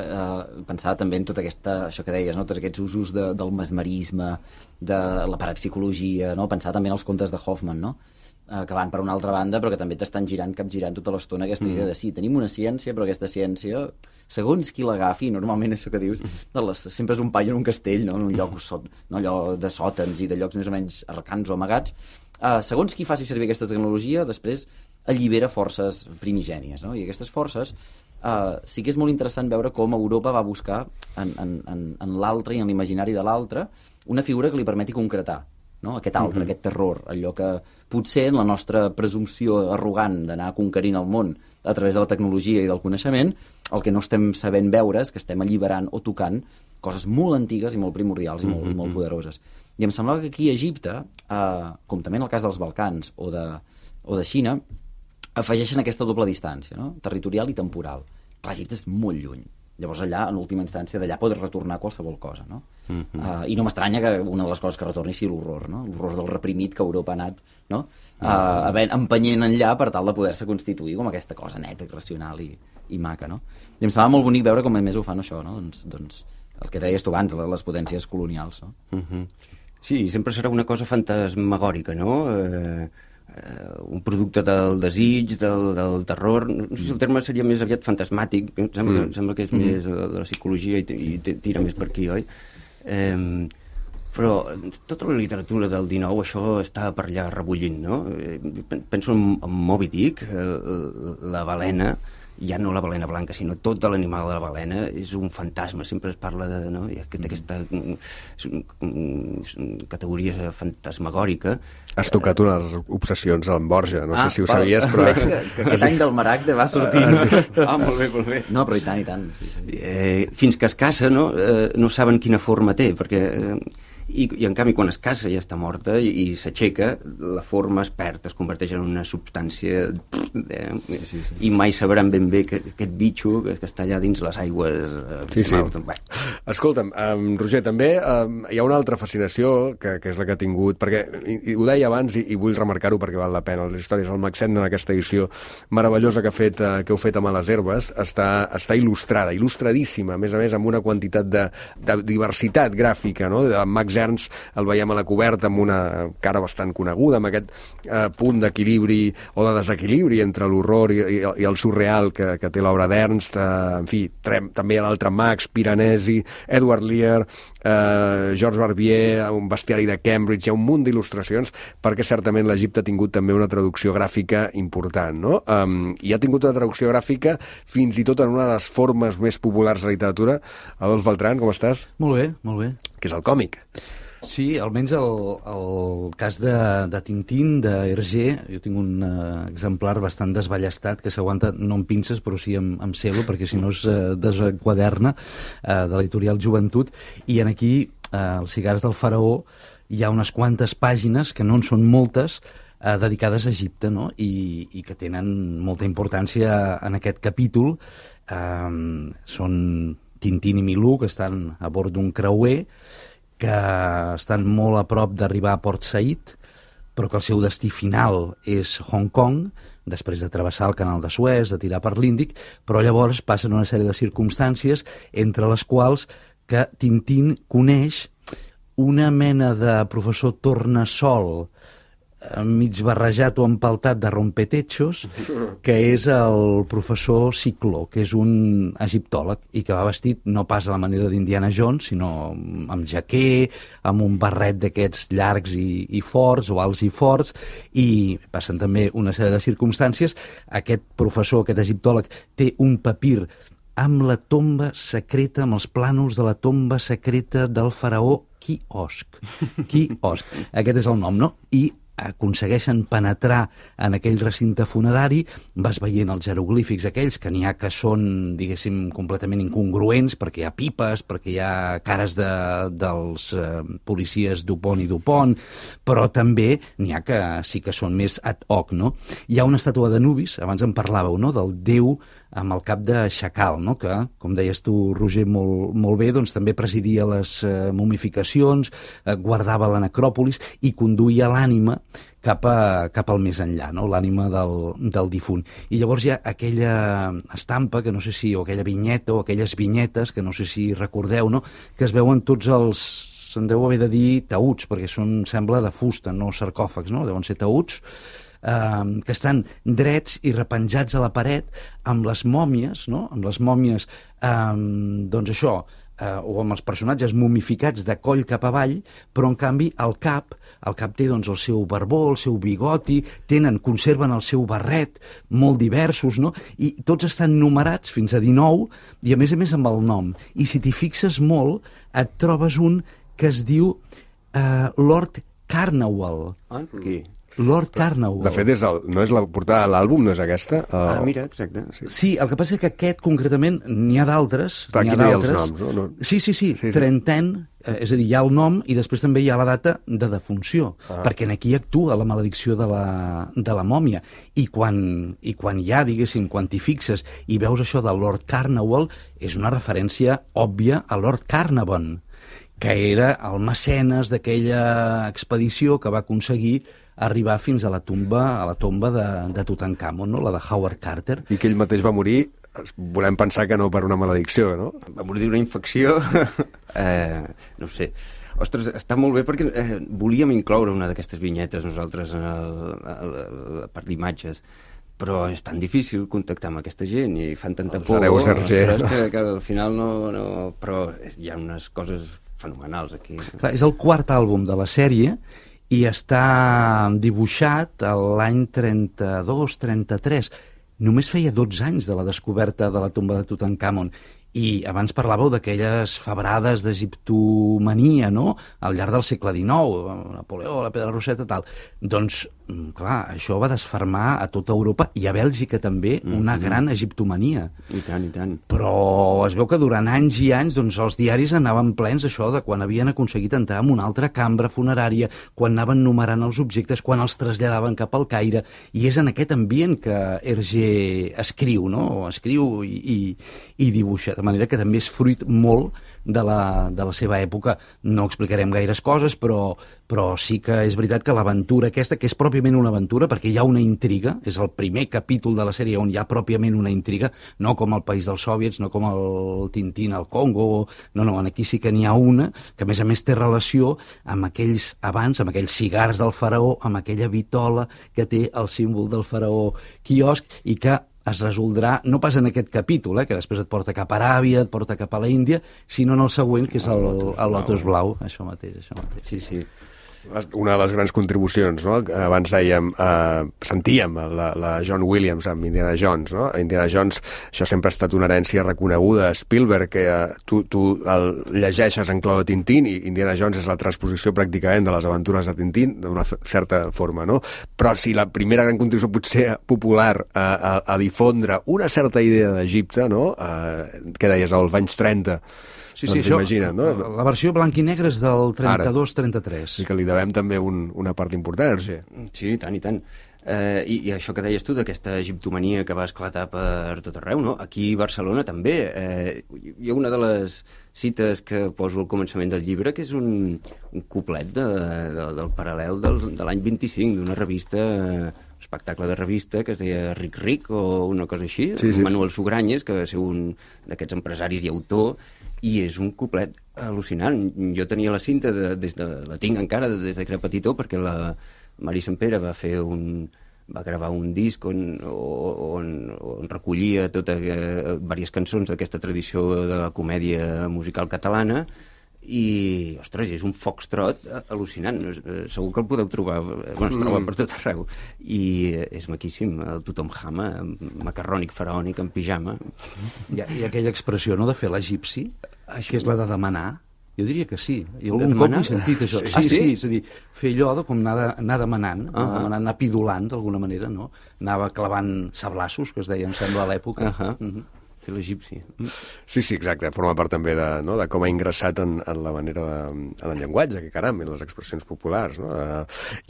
pensar també en tota això que deies, no? Tots aquests usos del mesmerisme, de la parapsicologia, no? Pensar també en els contes de Hoffman, no? Que van per una altra banda, però que també t'estan capgirant tota l'estona aquesta idea de sí, tenim una ciència, però aquesta ciència, segons qui l'agafi, normalment és això que dius, sempre és un paio en un castell, no? En un lloc no allò de sòtans i de llocs més o menys arcans o amagats. Segons qui faci servir aquesta tecnologia, després allibera forces primigènies, no? I aquestes forces sí que és molt interessant veure com Europa va buscar en l'altre i en l'imaginari de l'altre una figura que li permeti concretar, no? Aquest altre, aquest terror, allò que potser en la nostra presumpció arrogant d'anar conquerint el món a través de la tecnologia i del coneixement, el que no estem sabent veure és que estem alliberant o tocant coses molt antigues i molt primordials i molt poderoses. I em semblava que aquí a Egipte, com també en el cas dels Balcans o de Xina, afegeixen aquesta doble distància, no? Territorial i temporal. Clar, Egipte és molt lluny. Llavors allà, en última instància, d'allà pot retornar qualsevol cosa, no? I no m'estranya que una de les coses que retorni sigui l'horror, no? L'horror del reprimit que Europa ha anat, no? Empenyent enllà per tal de poder-se constituir com aquesta cosa neta, racional i maca, no? I em semblava molt bonic veure com a més ho fan això, no? Doncs el que deies tu abans, les potències colonials, no? Sí, sempre serà una cosa fantasmagòrica, no? Un producte del desig, del terror. No sé si el terme seria més aviat fantasmàtic, em sembla que és més de la psicologia i tira més per aquí, oi? Però tota la literatura del XIX això està per allà rebullint, no? Penso en Moby Dick, la balena, ja no la balena blanca, sinó tot l'animal de la balena és un fantasma, sempre es parla de, no? Aquesta categoria fantasmagòrica. Has tocat unes obsessions amb Borja, no sé si ho sabies, però... Que aquest any del Maragde va sortir. Molt bé. No, però i tant. Sí. Fins que es caça, no? No saben quina forma té, perquè... I en canvi, quan es caça ja està morta i s'aixeca, la forma es perd, es converteix en una substància Sí. i mai sabran ben bé que aquest bitxo que està allà dins les aigües. Sí. Escolta'm, Roger, també hi ha una altra fascinació que és la que ha tingut, perquè ho deia abans i vull remarcar-ho perquè val la pena, les històries del Maxent en aquesta edició meravellosa que heu fet amb les herbes està il·lustrada, il·lustradíssima, a més amb una quantitat de diversitat gràfica, no? De Max Ernst el veiem a la coberta amb una cara bastant coneguda, amb aquest punt d'equilibri o de desequilibri entre l'horror i el surreal que té l'obra d'Ernst, en fi, també l'altre Max, Piranesi, Edward Lear, Georges Barbier, un bestiari de Cambridge, hi ha un munt d'il·lustracions, perquè certament l'Egipte ha tingut també una traducció gràfica important, no? I ha tingut una traducció gràfica fins i tot en una de les formes més populars de la literatura. Adolf Beltrán, com estàs? Molt bé. Que és el còmic. Sí, almenys el cas de Tintín, d'Hergé, jo tinc un exemplar bastant desballestat que s'aguanta no amb pinces però sí amb celo, perquè si no es desenquaderna, de l'editorial Joventut, i en aquí, els cigars del faraó, hi ha unes quantes pàgines, que no en són moltes, dedicades a Egipte, no? I que tenen molta importància en aquest capítol. Són Tintín i Milú, que estan a bord d'un creuer, que estan molt a prop d'arribar a Port Said, però que el seu destí final és Hong Kong, després de travessar el canal de Suez, de tirar per l'Índic, però llavors passen una sèrie de circumstàncies, entre les quals que Tintín coneix una mena de professor tornassol mig barrejat o empaltat de rompetechos, que és el professor Cicló, que és un egiptòleg i que va vestit no pas a la manera d'Indiana Jones, sinó amb jaquer, amb un barret d'aquests llargs i forts, o alts i forts, i passen també una sèrie de circumstàncies. Aquest professor, aquest egiptòleg, té un papir amb la tomba secreta, amb els plànols de la tomba secreta del faraó Quiosc. Aquest és el nom, no? I aconsegueixen penetrar en aquell recinte funerari, vas veient els jeroglífics aquells, que n'hi ha que són, diguéssim, completament incongruents, perquè hi ha pipes, perquè hi ha cares dels policies Dupont i Dupont, però també n'hi ha que sí que són més ad hoc, no? Hi ha una estàtua d'Anubis, abans en parlàveu, no?, del déu amb el cap de xacal, no?, que, com deies tu, Roger, molt bé, doncs també presidia les momificacions, guardava la necròpolis i conduïa l'ànima cap al més enllà, no?, l'ànima del difunt. I llavors hi ha aquella estampa, que no sé si, o aquella vinyeta, o aquelles vinyetes, que no sé si recordeu, no?, que es veuen tots els, se'n deu haver de dir taüts, perquè són, sembla, de fusta, no sarcòfags, no?, deuen ser taüts, que estan drets i repenjats a la paret amb les mòmies, no?, amb les mòmies, doncs això, o amb els personatges momificats de coll cap avall, però en canvi el cap té doncs el seu barbó, el seu bigoti, conserven el seu barret, molt diversos, no? I tots estan numerats fins a 19 i a més amb el nom. I si t'hi fixes molt, et trobes un que es diu Lord Carnarvon. Aquí. Lord Carnarvon. De fet, no és la portada de l'àlbum, no és aquesta? Mira, exacte. Sí, el que passa és que aquest, concretament, n'hi ha d'altres. Però aquí no hi ha els noms, no? Sí, Trenten, és a dir, hi ha el nom i després també hi ha la data de defunció, perquè aquí actua la maledicció de la mòmia. I quan hi ha, diguéssim, quan t'hi fixes i veus això del Lord Carnarvon, és una referència òbvia a Lord Carnarvon, que era el mecenes d'aquella expedició que va aconseguir arribar fins a la tomba de Tutankamon, no?, la de Howard Carter. I que ell mateix va morir volem pensar que no per una maledicció, no? Va morir d'una infecció, no ho sé. Ostres, està molt bé perquè volíem incloure una d'aquestes vinyetes nosaltres en la part d'imatges, però és tan difícil contactar amb aquesta gent i fan tanta por, que al final no... Però hi ha unes coses fenomenals aquí. Clar, és el quart àlbum de la sèrie i està dibuixat l'any 32-33. Només feia 12 anys de la descoberta de la tomba de Tutankamon. I abans parlàveu d'aquelles febrades d'egiptomania, no?, al llarg del segle XIX, Napoleó, la Pedra Roseta, tal. Doncs, clar, això va desfermar a tota Europa i a Bèlgica també una gran egiptomania. I tant, i tant. Però es veu que durant anys i anys doncs, els diaris anaven plens això de quan havien aconseguit entrar en una altra cambra funerària, quan anaven numerant els objectes, quan els traslladaven cap al Caire, i és en aquest ambient que Hergé escriu, no?, escriu i dibuixa, de manera que també és fruit molt de la seva època. No explicarem gaires coses, però sí que és veritat que l'aventura aquesta, que és pròpiament una aventura, perquè hi ha una intriga, és el primer capítol de la sèrie on hi ha pròpiament una intriga, no com el País dels Soviets, no com el Tintín al Congo, no, aquí sí que n'hi ha una, que a més té relació amb aquells abans, amb aquells cigars del faraó, amb aquella vitola que té el símbol del faraó Quiosc, i que es resoldrà, no pas en aquest capítol, que després et porta cap a Aràbia, et porta cap a la Índia, sinó en el següent, que és el Lotus Blau. Això mateix. Sí. Una de les grans contribucions, no? Abans dèiem, sentíem la John Williams amb Indiana Jones, no? Indiana Jones, això sempre ha estat una herència reconeguda. Spielberg, que tu el llegeixes en clau de Tintín, i Indiana Jones és la transposició pràcticament de les aventures de Tintín, d'una certa forma, no? Però si la primera gran contribució potser popular a difondre una certa idea d'Egipte, no? Què deies, als anys 30, Sí, doncs això, imagina't, no? La versió blanc i negre és del 32-33. I que li devem també una part important, Hergé. Sí, i tant. I això que deies tu, d'aquesta egiptomania que va esclatar per tot arreu, no? Aquí a Barcelona també. Hi ha una de les cites que poso al començament del llibre, que és un cuplet del paral·lel de l'any 25, d'una revista, un espectacle de revista que es deia Ric o una cosa així, sí. Manuel Sugranyes, que va ser un d'aquests empresaris i autor, i és un cuplet al·lucinant. Jo tenia la cinta, la tinc encara des que era petitó, perquè la Mari Sempere va gravar un disc on recollia diverses cançons d'aquesta tradició de la comèdia musical catalana, i, ostres, és un foxtrot al·lucinant. Segur que el podeu trobar, es troba per tot arreu, i és maquíssim, el tothom jama, macarrònic, faraònic, en pijama. I aquella expressió, no?, de fer l'egipci, que és la de demanar. Jo diria que sí. I algun cop he sentit això. Sí, és a dir, fer allò com anar demanant, anar pidolant, d'alguna manera, no? Anava clavant sablassos, que es deia, em sembla, a l'època. L'egipci. Sí, exacte. Forma part també de com ha ingressat en la manera en el llenguatge, que caram, en les expressions populars, no?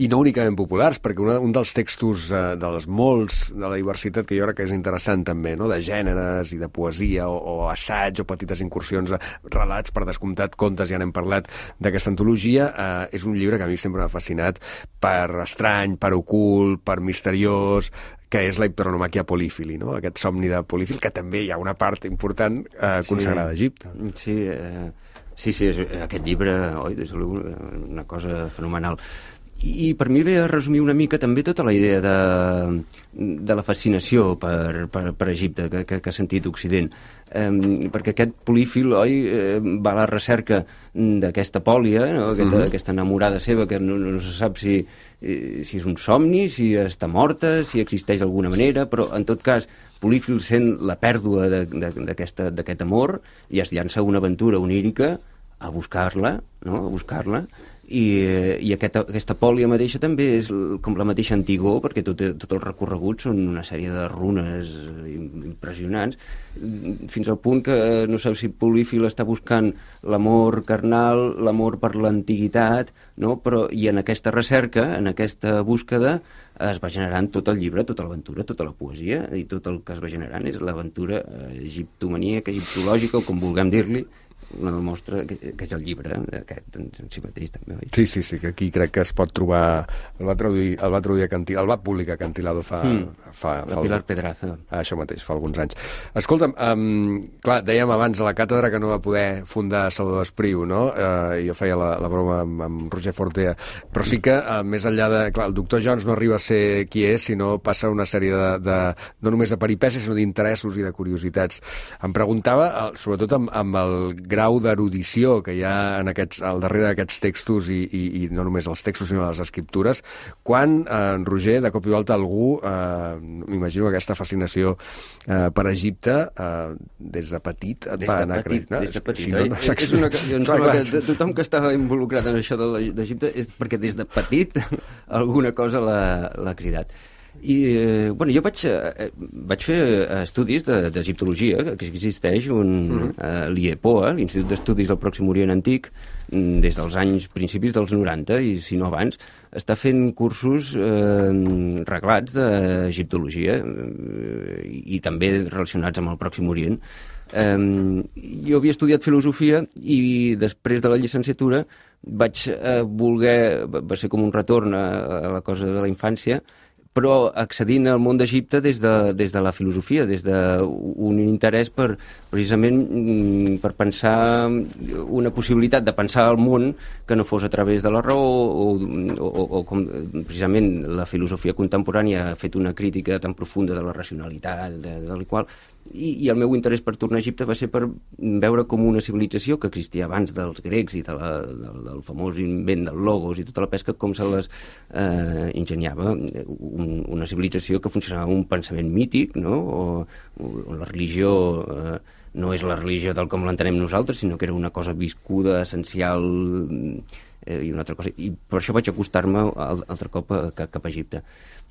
I no únicament populars, perquè un dels textos dels molts de la diversitat que jo crec que és interessant també, no?, de gèneres i de poesia o assaig o petites incursions, relats, per descomptat, contes, ja n'hem parlat d'aquesta antologia, és un llibre que a mi sempre m'ha fascinat per estrany, per ocult, per misteriós, que és la hiperonomàquia polífili, no? Aquest somni de Polífil, que també hi ha una part important consagrada a Egipte. Sí, aquest llibre, oi, és una cosa fenomenal. I per mi ve a resumir una mica també tota la idea de la fascinació per Egipte que ha sentit Occident, perquè aquest Polífil, oi, va a la recerca d'aquesta Pòlia, no? Aquesta enamorada seva, que no se sap si és un somni, si està morta, si existeix d'alguna manera, però en tot cas Polífil sent la pèrdua d'aquest amor i es llança una aventura onírica a buscar-la, no? A buscar-la. I aquesta Pòlia mateixa també és com la mateixa Antigó, perquè tot el recorregut són una sèrie de runes impressionants, fins al punt que no sé si Polífil està buscant l'amor carnal, l'amor per l'antiguitat, no? Però i en aquesta recerca, en aquesta búsqueda, es va generant tot el llibre, tota l'aventura, tota la poesia, i tot el que es va generant és l'aventura egiptomaníaca, egiptològica, o com vulguem dir-li, una demostra que és el llibre, aquest en si mateix també. Oi? Sí, que aquí crec que es pot trobar... El va publicar Acantilado fa la Pilar Pedraza. Això mateix, fa alguns anys. Escolta'm, clar, dèiem abans a la càtedra que no va poder fundar Salvador Espriu, no? Jo feia la broma amb Roger Fortea, però sí que més enllà de... Clar, el doctor Jones no arriba a ser qui és, sinó passa una sèrie no només de peripècies, sinó d'interessos i de curiositats. Em preguntava, sobretot amb el grau d'erudició que hi ha al darrere d'aquests textos i no només els textos sinó les escriptures, quan, Roger, de cop i volta algú, m'imagino aquesta fascinació per Egipte, des de petit et va anar creixent. Des de petit, oi? És una que em sembla que tothom que estava involucrat en això d'Egipte és perquè des de petit alguna cosa l'ha cridat. I, bueno, jo vaig fer estudis d'egiptologia, que existeix l'IEPOA, l'Institut d'Estudis del Pròxim Orient Antic, des dels principis dels 90, i si no abans, està fent cursos reglats d'egiptologia i també relacionats amb el Pròxim Orient. Jo havia estudiat filosofia i després de la llicenciatura va ser com un retorn a la cosa de la infància, però accedint al món d'Egipte des de la filosofia, des d'un interès precisament per pensar una possibilitat de pensar el món que no fos a través de la raó o com precisament la filosofia contemporània ha fet una crítica tan profunda de la racionalitat, del qual, i el meu interès per tornar a Egipte va ser per veure com una civilització que existia abans dels grecs i del famós invent del logos i tota la pesca, com se les ingeniava una civilització que funcionava amb un pensament mític, no? O la religió no és la religió tal com l'entenem nosaltres, sinó que era una cosa viscuda, essencial, i una altra cosa. I per això vaig acostar-me altre cop cap a Egipte.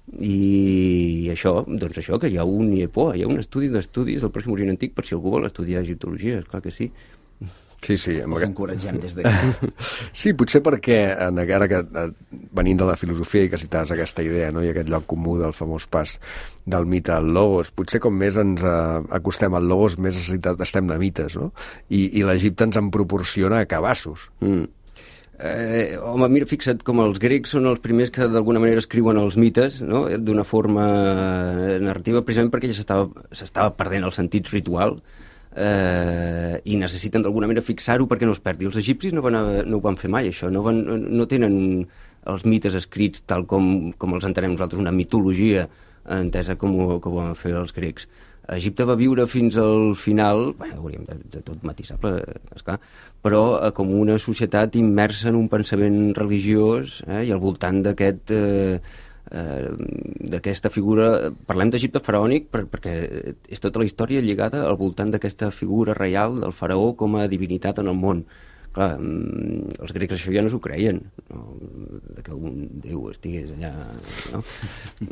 I això, que hi ha un IEPOA, hi ha un estudi d'estudis del Pròxim Orient Antic per si algú vol estudiar egiptologia, esclar que sí. Sí. Els encoratgem des d'aquí. Sí, potser perquè, ara que venint de la filosofia i que citaves aquesta idea, no? I aquest lloc comú del famós pas del mite al logos, potser com més ens acostem al logos, més necessitat estem de mites, no? I l'Egipte ens en proporciona cabassos. Home, mira, fixa't, com els grecs són els primers que d'alguna manera escriuen els mites, no? D'una forma narrativa, precisament perquè ja s'estava perdent el sentit ritual, i necessiten d'alguna manera fixar-ho perquè no es perdi. Els egipcis no ho van fer mai, això. No tenen els mites escrits tal com els entenem nosaltres, una mitologia entesa com ho van fer els grecs. Egipte va viure fins al final, hauríem de tot matisable, esclar, però com una societat immersa en un pensament religiós, i al voltant d'aquesta figura. Parlem d'Egipte faraònic perquè és tota la història lligada al voltant d'aquesta figura reial del faraó com a divinitat en el món. Clar, els grecs això ja no s'ho creien, no? Que un déu estigués allà, no?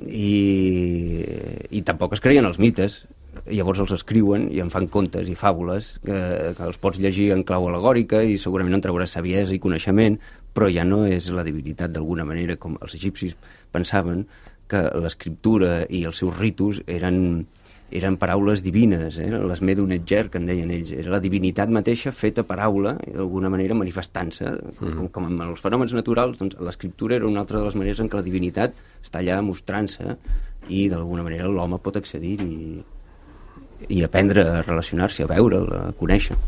I tampoc es creien els mites. Llavors els escriuen i en fan contes i fàbules que els pots llegir en clau al·legòrica i segurament en trauràs saviesa i coneixement, però ja no és la divinitat d'alguna manera com els egipcis pensaven que l'escriptura i els seus ritus eren paraules divines, l'esmé d'un etger, que en deien ells. Era la divinitat mateixa feta paraula, d'alguna manera manifestant-se. Com en els fenòmens naturals, doncs l'escriptura era una altra de les maneres en què la divinitat està allà mostrant-se i d'alguna manera l'home pot accedir i aprendre a relacionar-s'hi, a veure'l, a conèixer.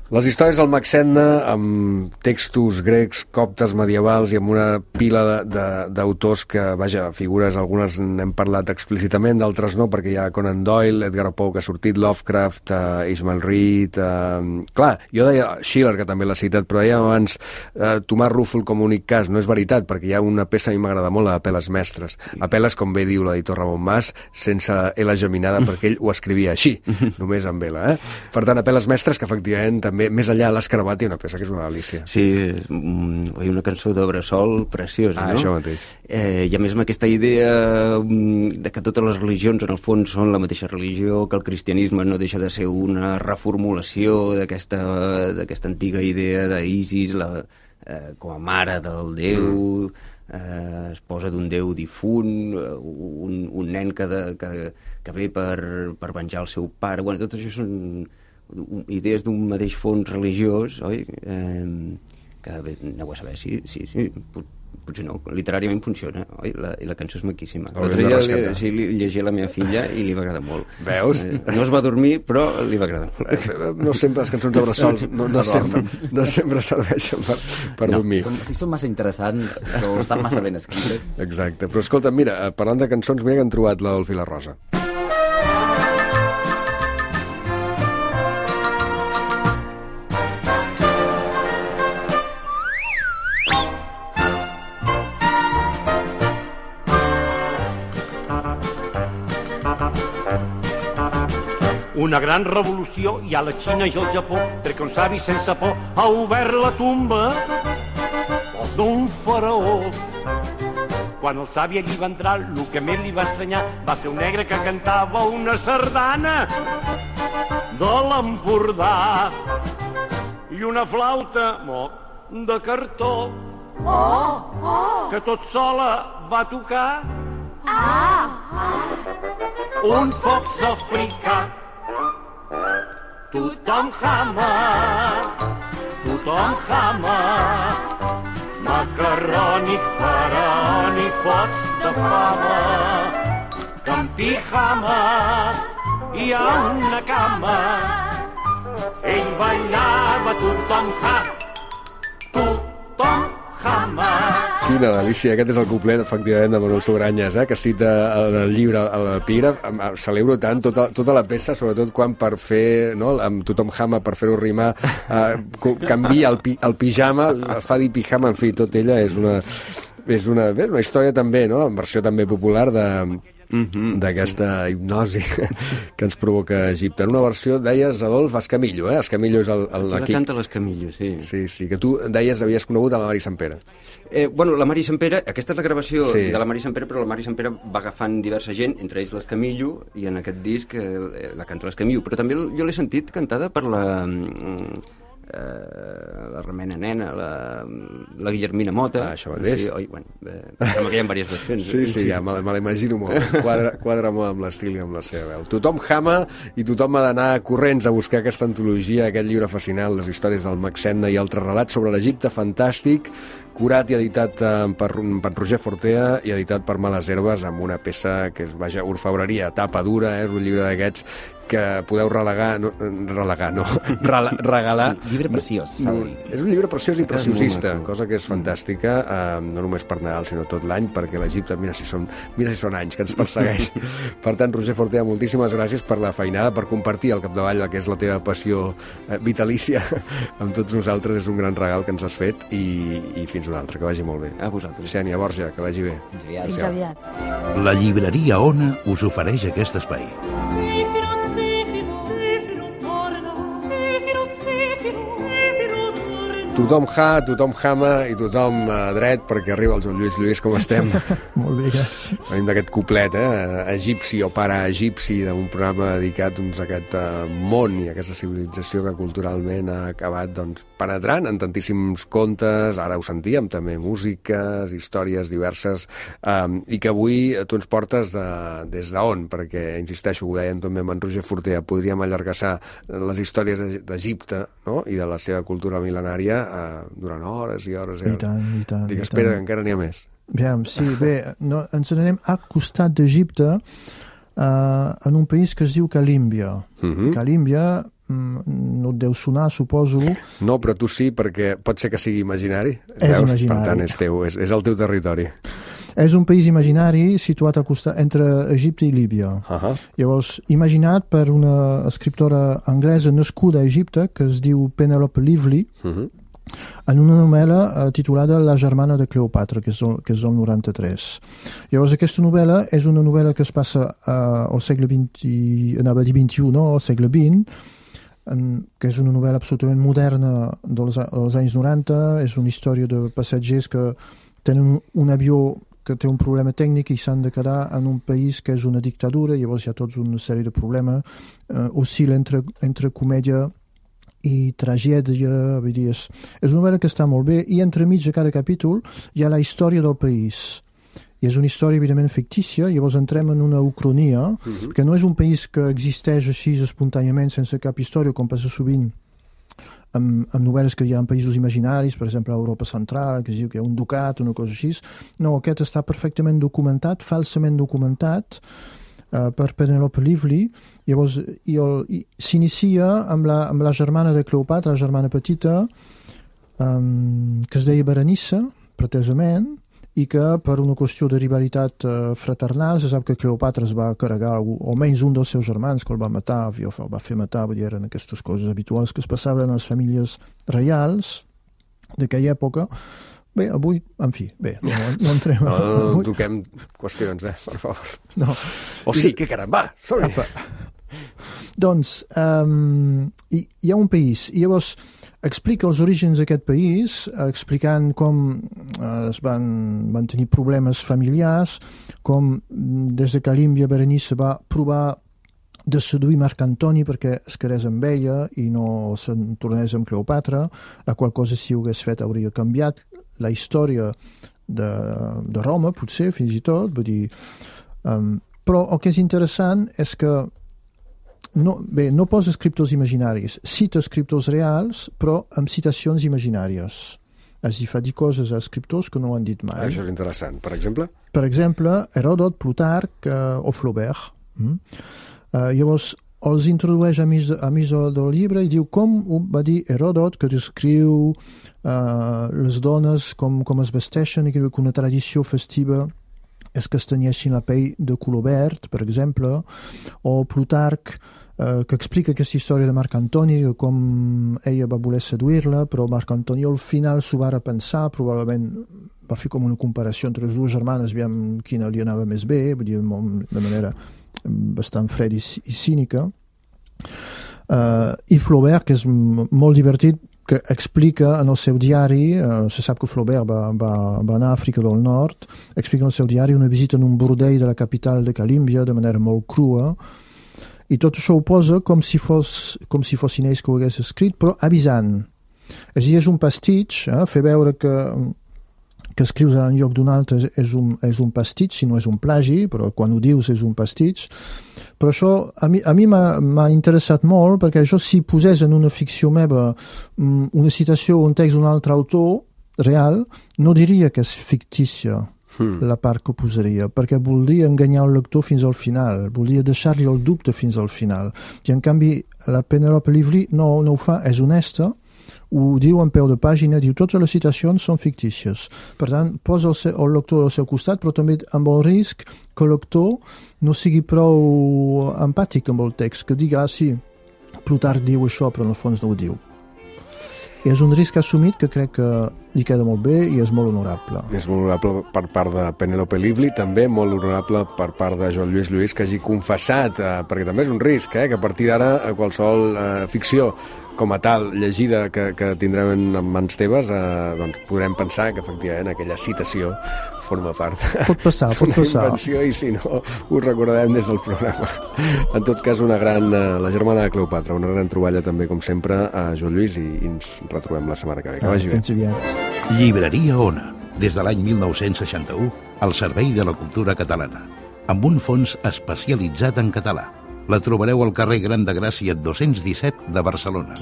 Les històries del Maxenna, amb textos grecs, coptes, medievals i amb una pila d'autors que, vaja, figures, algunes n'hem parlat explícitament, d'altres no, perquè hi ha Conan Doyle, Edgar Poe, que ha sortit, Lovecraft, Ishmael Reed... Clar, jo deia Schiller, que també l'ha citat, però dèiem abans Tomàs Rúfol com únic cas. No és veritat, perquè hi ha una peça, a mi m'agrada molt, la d'Apel·les Mestres. Apel·les, com bé diu l'editor Ramon Mas, sense L geminada, perquè ell ho escrivia així, només amb L. Per tant, Apel·les Mestres, que efectivament també, més enllà de l'Escarabat, hi ha una peça que és una delícia. Sí, una cançó de Bressol preciosa, no? Això mateix. I a més amb aquesta idea de que totes les religions en el fons són la mateixa religió, que el cristianisme no deixa de ser una reformulació d'aquesta antiga idea d'Isis com a mare del déu, esposa d'un déu difunt, un nen que ve per venjar el seu pare. Bueno, tot això són idees d'un mateix fons religiós, oi? Que bé, aneu a saber, sí, potser no, literàriament funciona, oi? I la cançó és maquíssima. L'altre dia li llegia a la meva filla i li va agradar molt. Veus? No es va dormir, però li va agradar molt. No sempre les cançons de bressols no sempre serveixen per dormir. Si són massa interessants o estan massa ben escrites. Exacte, però escolta, mira, parlant de cançons, mira que han trobat l'Adolf i la Rosa. Una gran revolució hi ha a la Xina i al Japó, perquè un savi sense por ha obert la tomba d'un faraó. Quan el savi allí va entrar, el que més li va estranyar va ser un negre que cantava una sardana de l'Empordà i una flauta de cartó que tot sola va tocar un fox africà. Tothom jama, macarrònic, farònic, focs de fava, que en pijama hi ha una cama. Ell ballava, tothom jama. Quina delícia, aquest és el couplet, efectivament, de Manuel Sugranyes, que cita en el llibre, a l'epígraf. Celebro tant tota la peça, sobretot quan per fer, no, amb tothom jama, per fer-ho rimar, canvia el pijama, fa dir pijama, en fi, tot ella és una història també, no?, en versió també popular d'aquesta hipnosi que ens provoca Egipte. En una versió, deies, Adolf, Escamillo, Escamillo és el la canta l'Escamillo, sí. Sí, que tu deies havies conegut a la Mari Sempere. La Mari Sempere, aquesta és la gravació de la Mari Sempere, però la Mari Sempere va agafant diversa gent, entre ells l'Escamillo, i en aquest disc la canta l'Escamillo, però també jo l'he sentit cantada per la Remena Nena, la Guillermina Mota. Això mateix. Sí, sembla que hi ha diverses versions. Sí, ja me l'imagino molt. Quadra molt amb l'estil i amb la seva veu. Tothom jama i tothom ha d'anar corrents a buscar aquesta antologia, aquest llibre fascinant, les històries del Maxenna i altres relats sobre l'Egipte fantàstic, curat i editat per Roger Fortea i editat per Males Herbes, amb una peça que és, orfebreria, tapa dura, és un llibre d'aquests que podeu regalar. Sí, llibre preciós, s'ha de dir. És un llibre preciós i preciosista, cosa que és fantàstica, no només per Nadal, sinó tot l'any, perquè l'Egipte, mira si són anys que ens persegueix. Per tant, Roger Fortea, moltíssimes gràcies per la feinada, per compartir al capdavall el que és la teva passió vitalícia amb tots nosaltres. És un gran regal que ens has fet i fins una altra, que vagi molt bé. A vosaltres. Xènia, Borja, que vagi bé. Fins aviat. La llibreria Ona us ofereix aquest espai. Tothom tothom jama i tothom dret perquè arriba el Joan Lluís, com estem? Molt bé, gràcies. Venim d'aquest cuplet, egipci o paraegipci, d'un programa dedicat a aquest món i a aquesta civilització que culturalment ha acabat penetrant en tantíssims contes, ara ho sentíem també, músiques, històries diverses, i que avui tu ens portes des d'on, perquè, insisteixo, ho dèiem també amb en Roger Fortea, podríem allargassar les històries d'Egipte, no?, i de la seva cultura mil·lenària durant hores i hores. I tant. Dic, espera, que encara n'hi ha més. Ens n'anem al costat d'Egipte, en un país que es diu Calímbia. Calímbia no et deu sonar, suposo. No, però tu sí, perquè pot ser que sigui imaginari. És imaginari. Per tant, és teu, és el teu territori. És un país imaginari situat al costat entre Egipte i Líbia. Llavors, imaginat per una escriptora anglesa nascuda a Egipte, que es diu Penelope Lively, en una novel·la titulada La germana de Cleopatra, que és del 93. Llavors, aquesta novel·la és una novel·la que es passa al segle XX, anava a dir XXI, no? Al segle XX, que és una novel·la absolutament moderna dels anys 90, és una història de passatgers que tenen un avió que té un problema tècnic i s'han de quedar en un país que és una dictadura, llavors hi ha tota una sèrie de problemes, oscil·la entre comèdia i tragèdia, vull dir, és una novel·la que està molt bé, i entremig de cada capítol hi ha la història del país. i és una història evidentment fictícia. Llavors entrem en una ucronia, que no és un país que existeix així espontàniament sense cap història, com passa sovint amb novel·les que hi ha en països imaginaris, per exemple a Europa Central, que es diu que hi ha un ducat, una cosa així. No, aquest està perfectament documentat, falsament documentat, per Penelope Lively. Llavors s'inicia amb la germana de Cleopatra, la germana petita, que es deia Berenice, pretesament, i que per una qüestió de rivalitat fraternal se sap que Cleopatra es va carregar almenys un dels seus germans, que el va matar, el va fer matar, vull dir, eren aquestes coses habituals que es passaven a les famílies reials d'aquella època. Bé, avui, en fi, bé, no entrem... No toquem qüestions, per favor. No. Sí, que caramba, som-hi! Doncs, hi ha un país, i llavors explica els orígens d'aquest país, explicant com es van tenir problemes familiars, com des de Calímbia Berenice va provar de seduir Marc Antoni perquè es quedés amb ella i no se'n tornés amb Cleopatra, la qual cosa si ho hagués fet hauria canviat la història de Roma, potser, fins i tot, vull dir... Però el que és interessant és que no posa escriptors imaginaris, cita escriptors reals, però amb citacions imaginàries. És a dir, fa dir coses a escriptors que no ho han dit mai. Això és interessant. Per exemple? Per exemple, Heròdot, Plutarc o Flaubert. Llavors, els introdueix a mig del llibre i diu com va dir Heròdot, que descriu les dones com es vesteixen i que una tradició festiva és que es tenyeixin la pell de color verd, per exemple, o Plutarc, que explica aquesta història de Marc Antoni, com ella va voler seduir-la, però Marc Antoni al final s'ho va repensar, probablement va fer com una comparació entre les dues germanes, aviam quina li anava més bé, vull dir, de manera bastant freda i cínica. I Flaubert, que és molt divertit, que explica en el seu diari, se sap que Flaubert va anar a Àfrica del Nord, explica en el seu diari una visita en un bordell de la capital de Calímbia de manera molt crua, i tot això ho posa com si fossin ells que ho hagués escrit, però avisant. És a dir, és un pastitx, fer veure que escrius en lloc d'un altre és un pastitx, si no és un plagi, però quan ho dius és un pastitx. Però això a mi m'ha interessat molt, perquè això si posés en una ficció meva una citació o un text d'un altre autor real, no diria que és fictícia la part que posaria, perquè voldria enganyar el lector fins al final, voldria deixar-li el dubte fins al final. I en canvi la Penelope Lively no ho fa, és honesta, ho diu en peu de pàgina, diu totes les citacions són fictícies. Per tant, posa el lector al seu costat, però també amb el risc que el lector no sigui prou empàtic amb el text, que diga, sí, Plutarc diu això, però en el fons no ho diu. I és un risc assumit que crec que li queda molt bé i és molt honorable. És molt honorable per part de Penelope Lively, també molt honorable per part de Joan Lluís Lluís, que hagi confessat, perquè també és un risc, que a partir d'ara qualsevol ficció com a tal, llegida, que tindrem en mans teves, doncs podrem pensar que efectivament aquella citació forma part d'una invenció i si no ho recordarem des del programa. En tot cas, la germana de Cleopatra, una gran troballa també, com sempre, a Joan Lluís, i ens retrobem la setmana que ve. Que vagi bé. Llibreria Ona, des de l'any 1961, al servei de la cultura catalana, amb un fons especialitzat en català. La trobareu al carrer Gran de Gràcia 217 de Barcelona.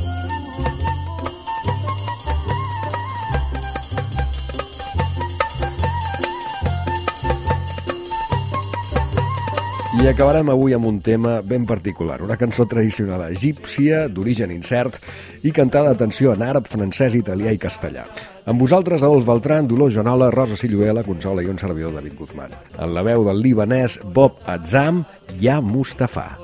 I acabarem avui amb un tema ben particular, una cançó tradicional egípcia, d'origen incert, i cantada, atenció, en àrab, francès, italià i castellà. Amb vosaltres, Adolf Beltran, Dolors Joanola, Rosa Silluela, Consola i un servidor, David Guzmán. En la veu del libanès Bob Azzam, Ya Mustafa.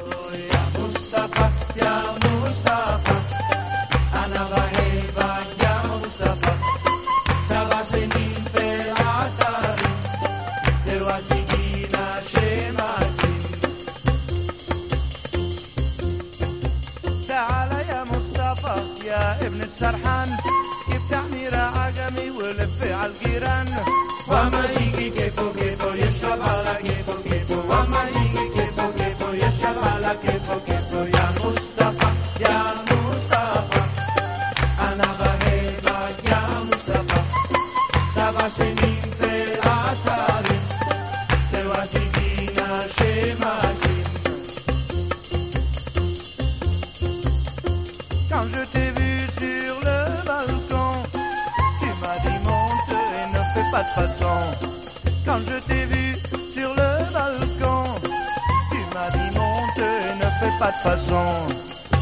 سرحان يفتحني راعجمي ولف على الجيران وما يجي كيفه كيفه يشرب على كيفه كيفه وما يجي كيفه كيفه يشرب على كيفه كيفه يا مصطفى يا مصطفى أنا بهيبك يا مصطفى 7 سنين في العطاري Quand je t'ai vu sur le balcon, tu m'as dit monte et ne fais pas de façon. Quand je t'ai vu sur le balcon, tu m'as dit monte et ne fais pas de façon.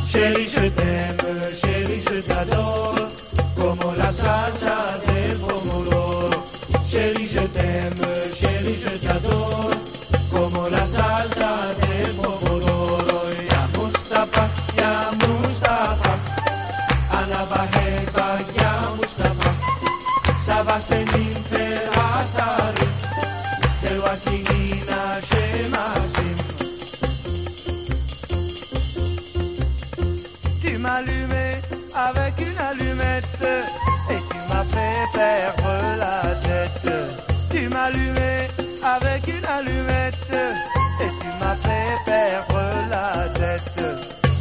Chérie, je t'aime, chérie, je t'adore, como la salsa del pomodoro. Chérie, je t'aime, chérie, je t'adore, como la salsa del pomodoro. Ya Mustafa, ya Mustafa, Ana Baheba, ya Mustafa, Saba Senin Ferhatari, Del Watigina Shemasim. Tu m'as allumé avec une allumette et tu m'as fait perdre la tête. Tu m'as allumé avec une allumette et tu m'as fait perdre la tête.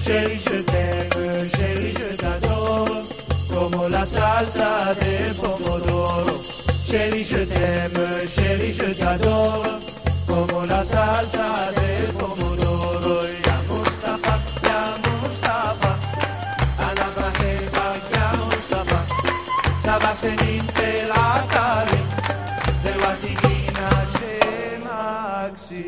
Chérie, je t'aime, chérie, je t'adore, como la salsa del pomodoro. Chérie, je t'aime, chérie, je t'adore, como la salsa del pomodoro. Ya Mustafa, ya Mustafa, Ana Baheba, ya Mustafa, Saba Senin Felatari, de Watigina Shemaxi.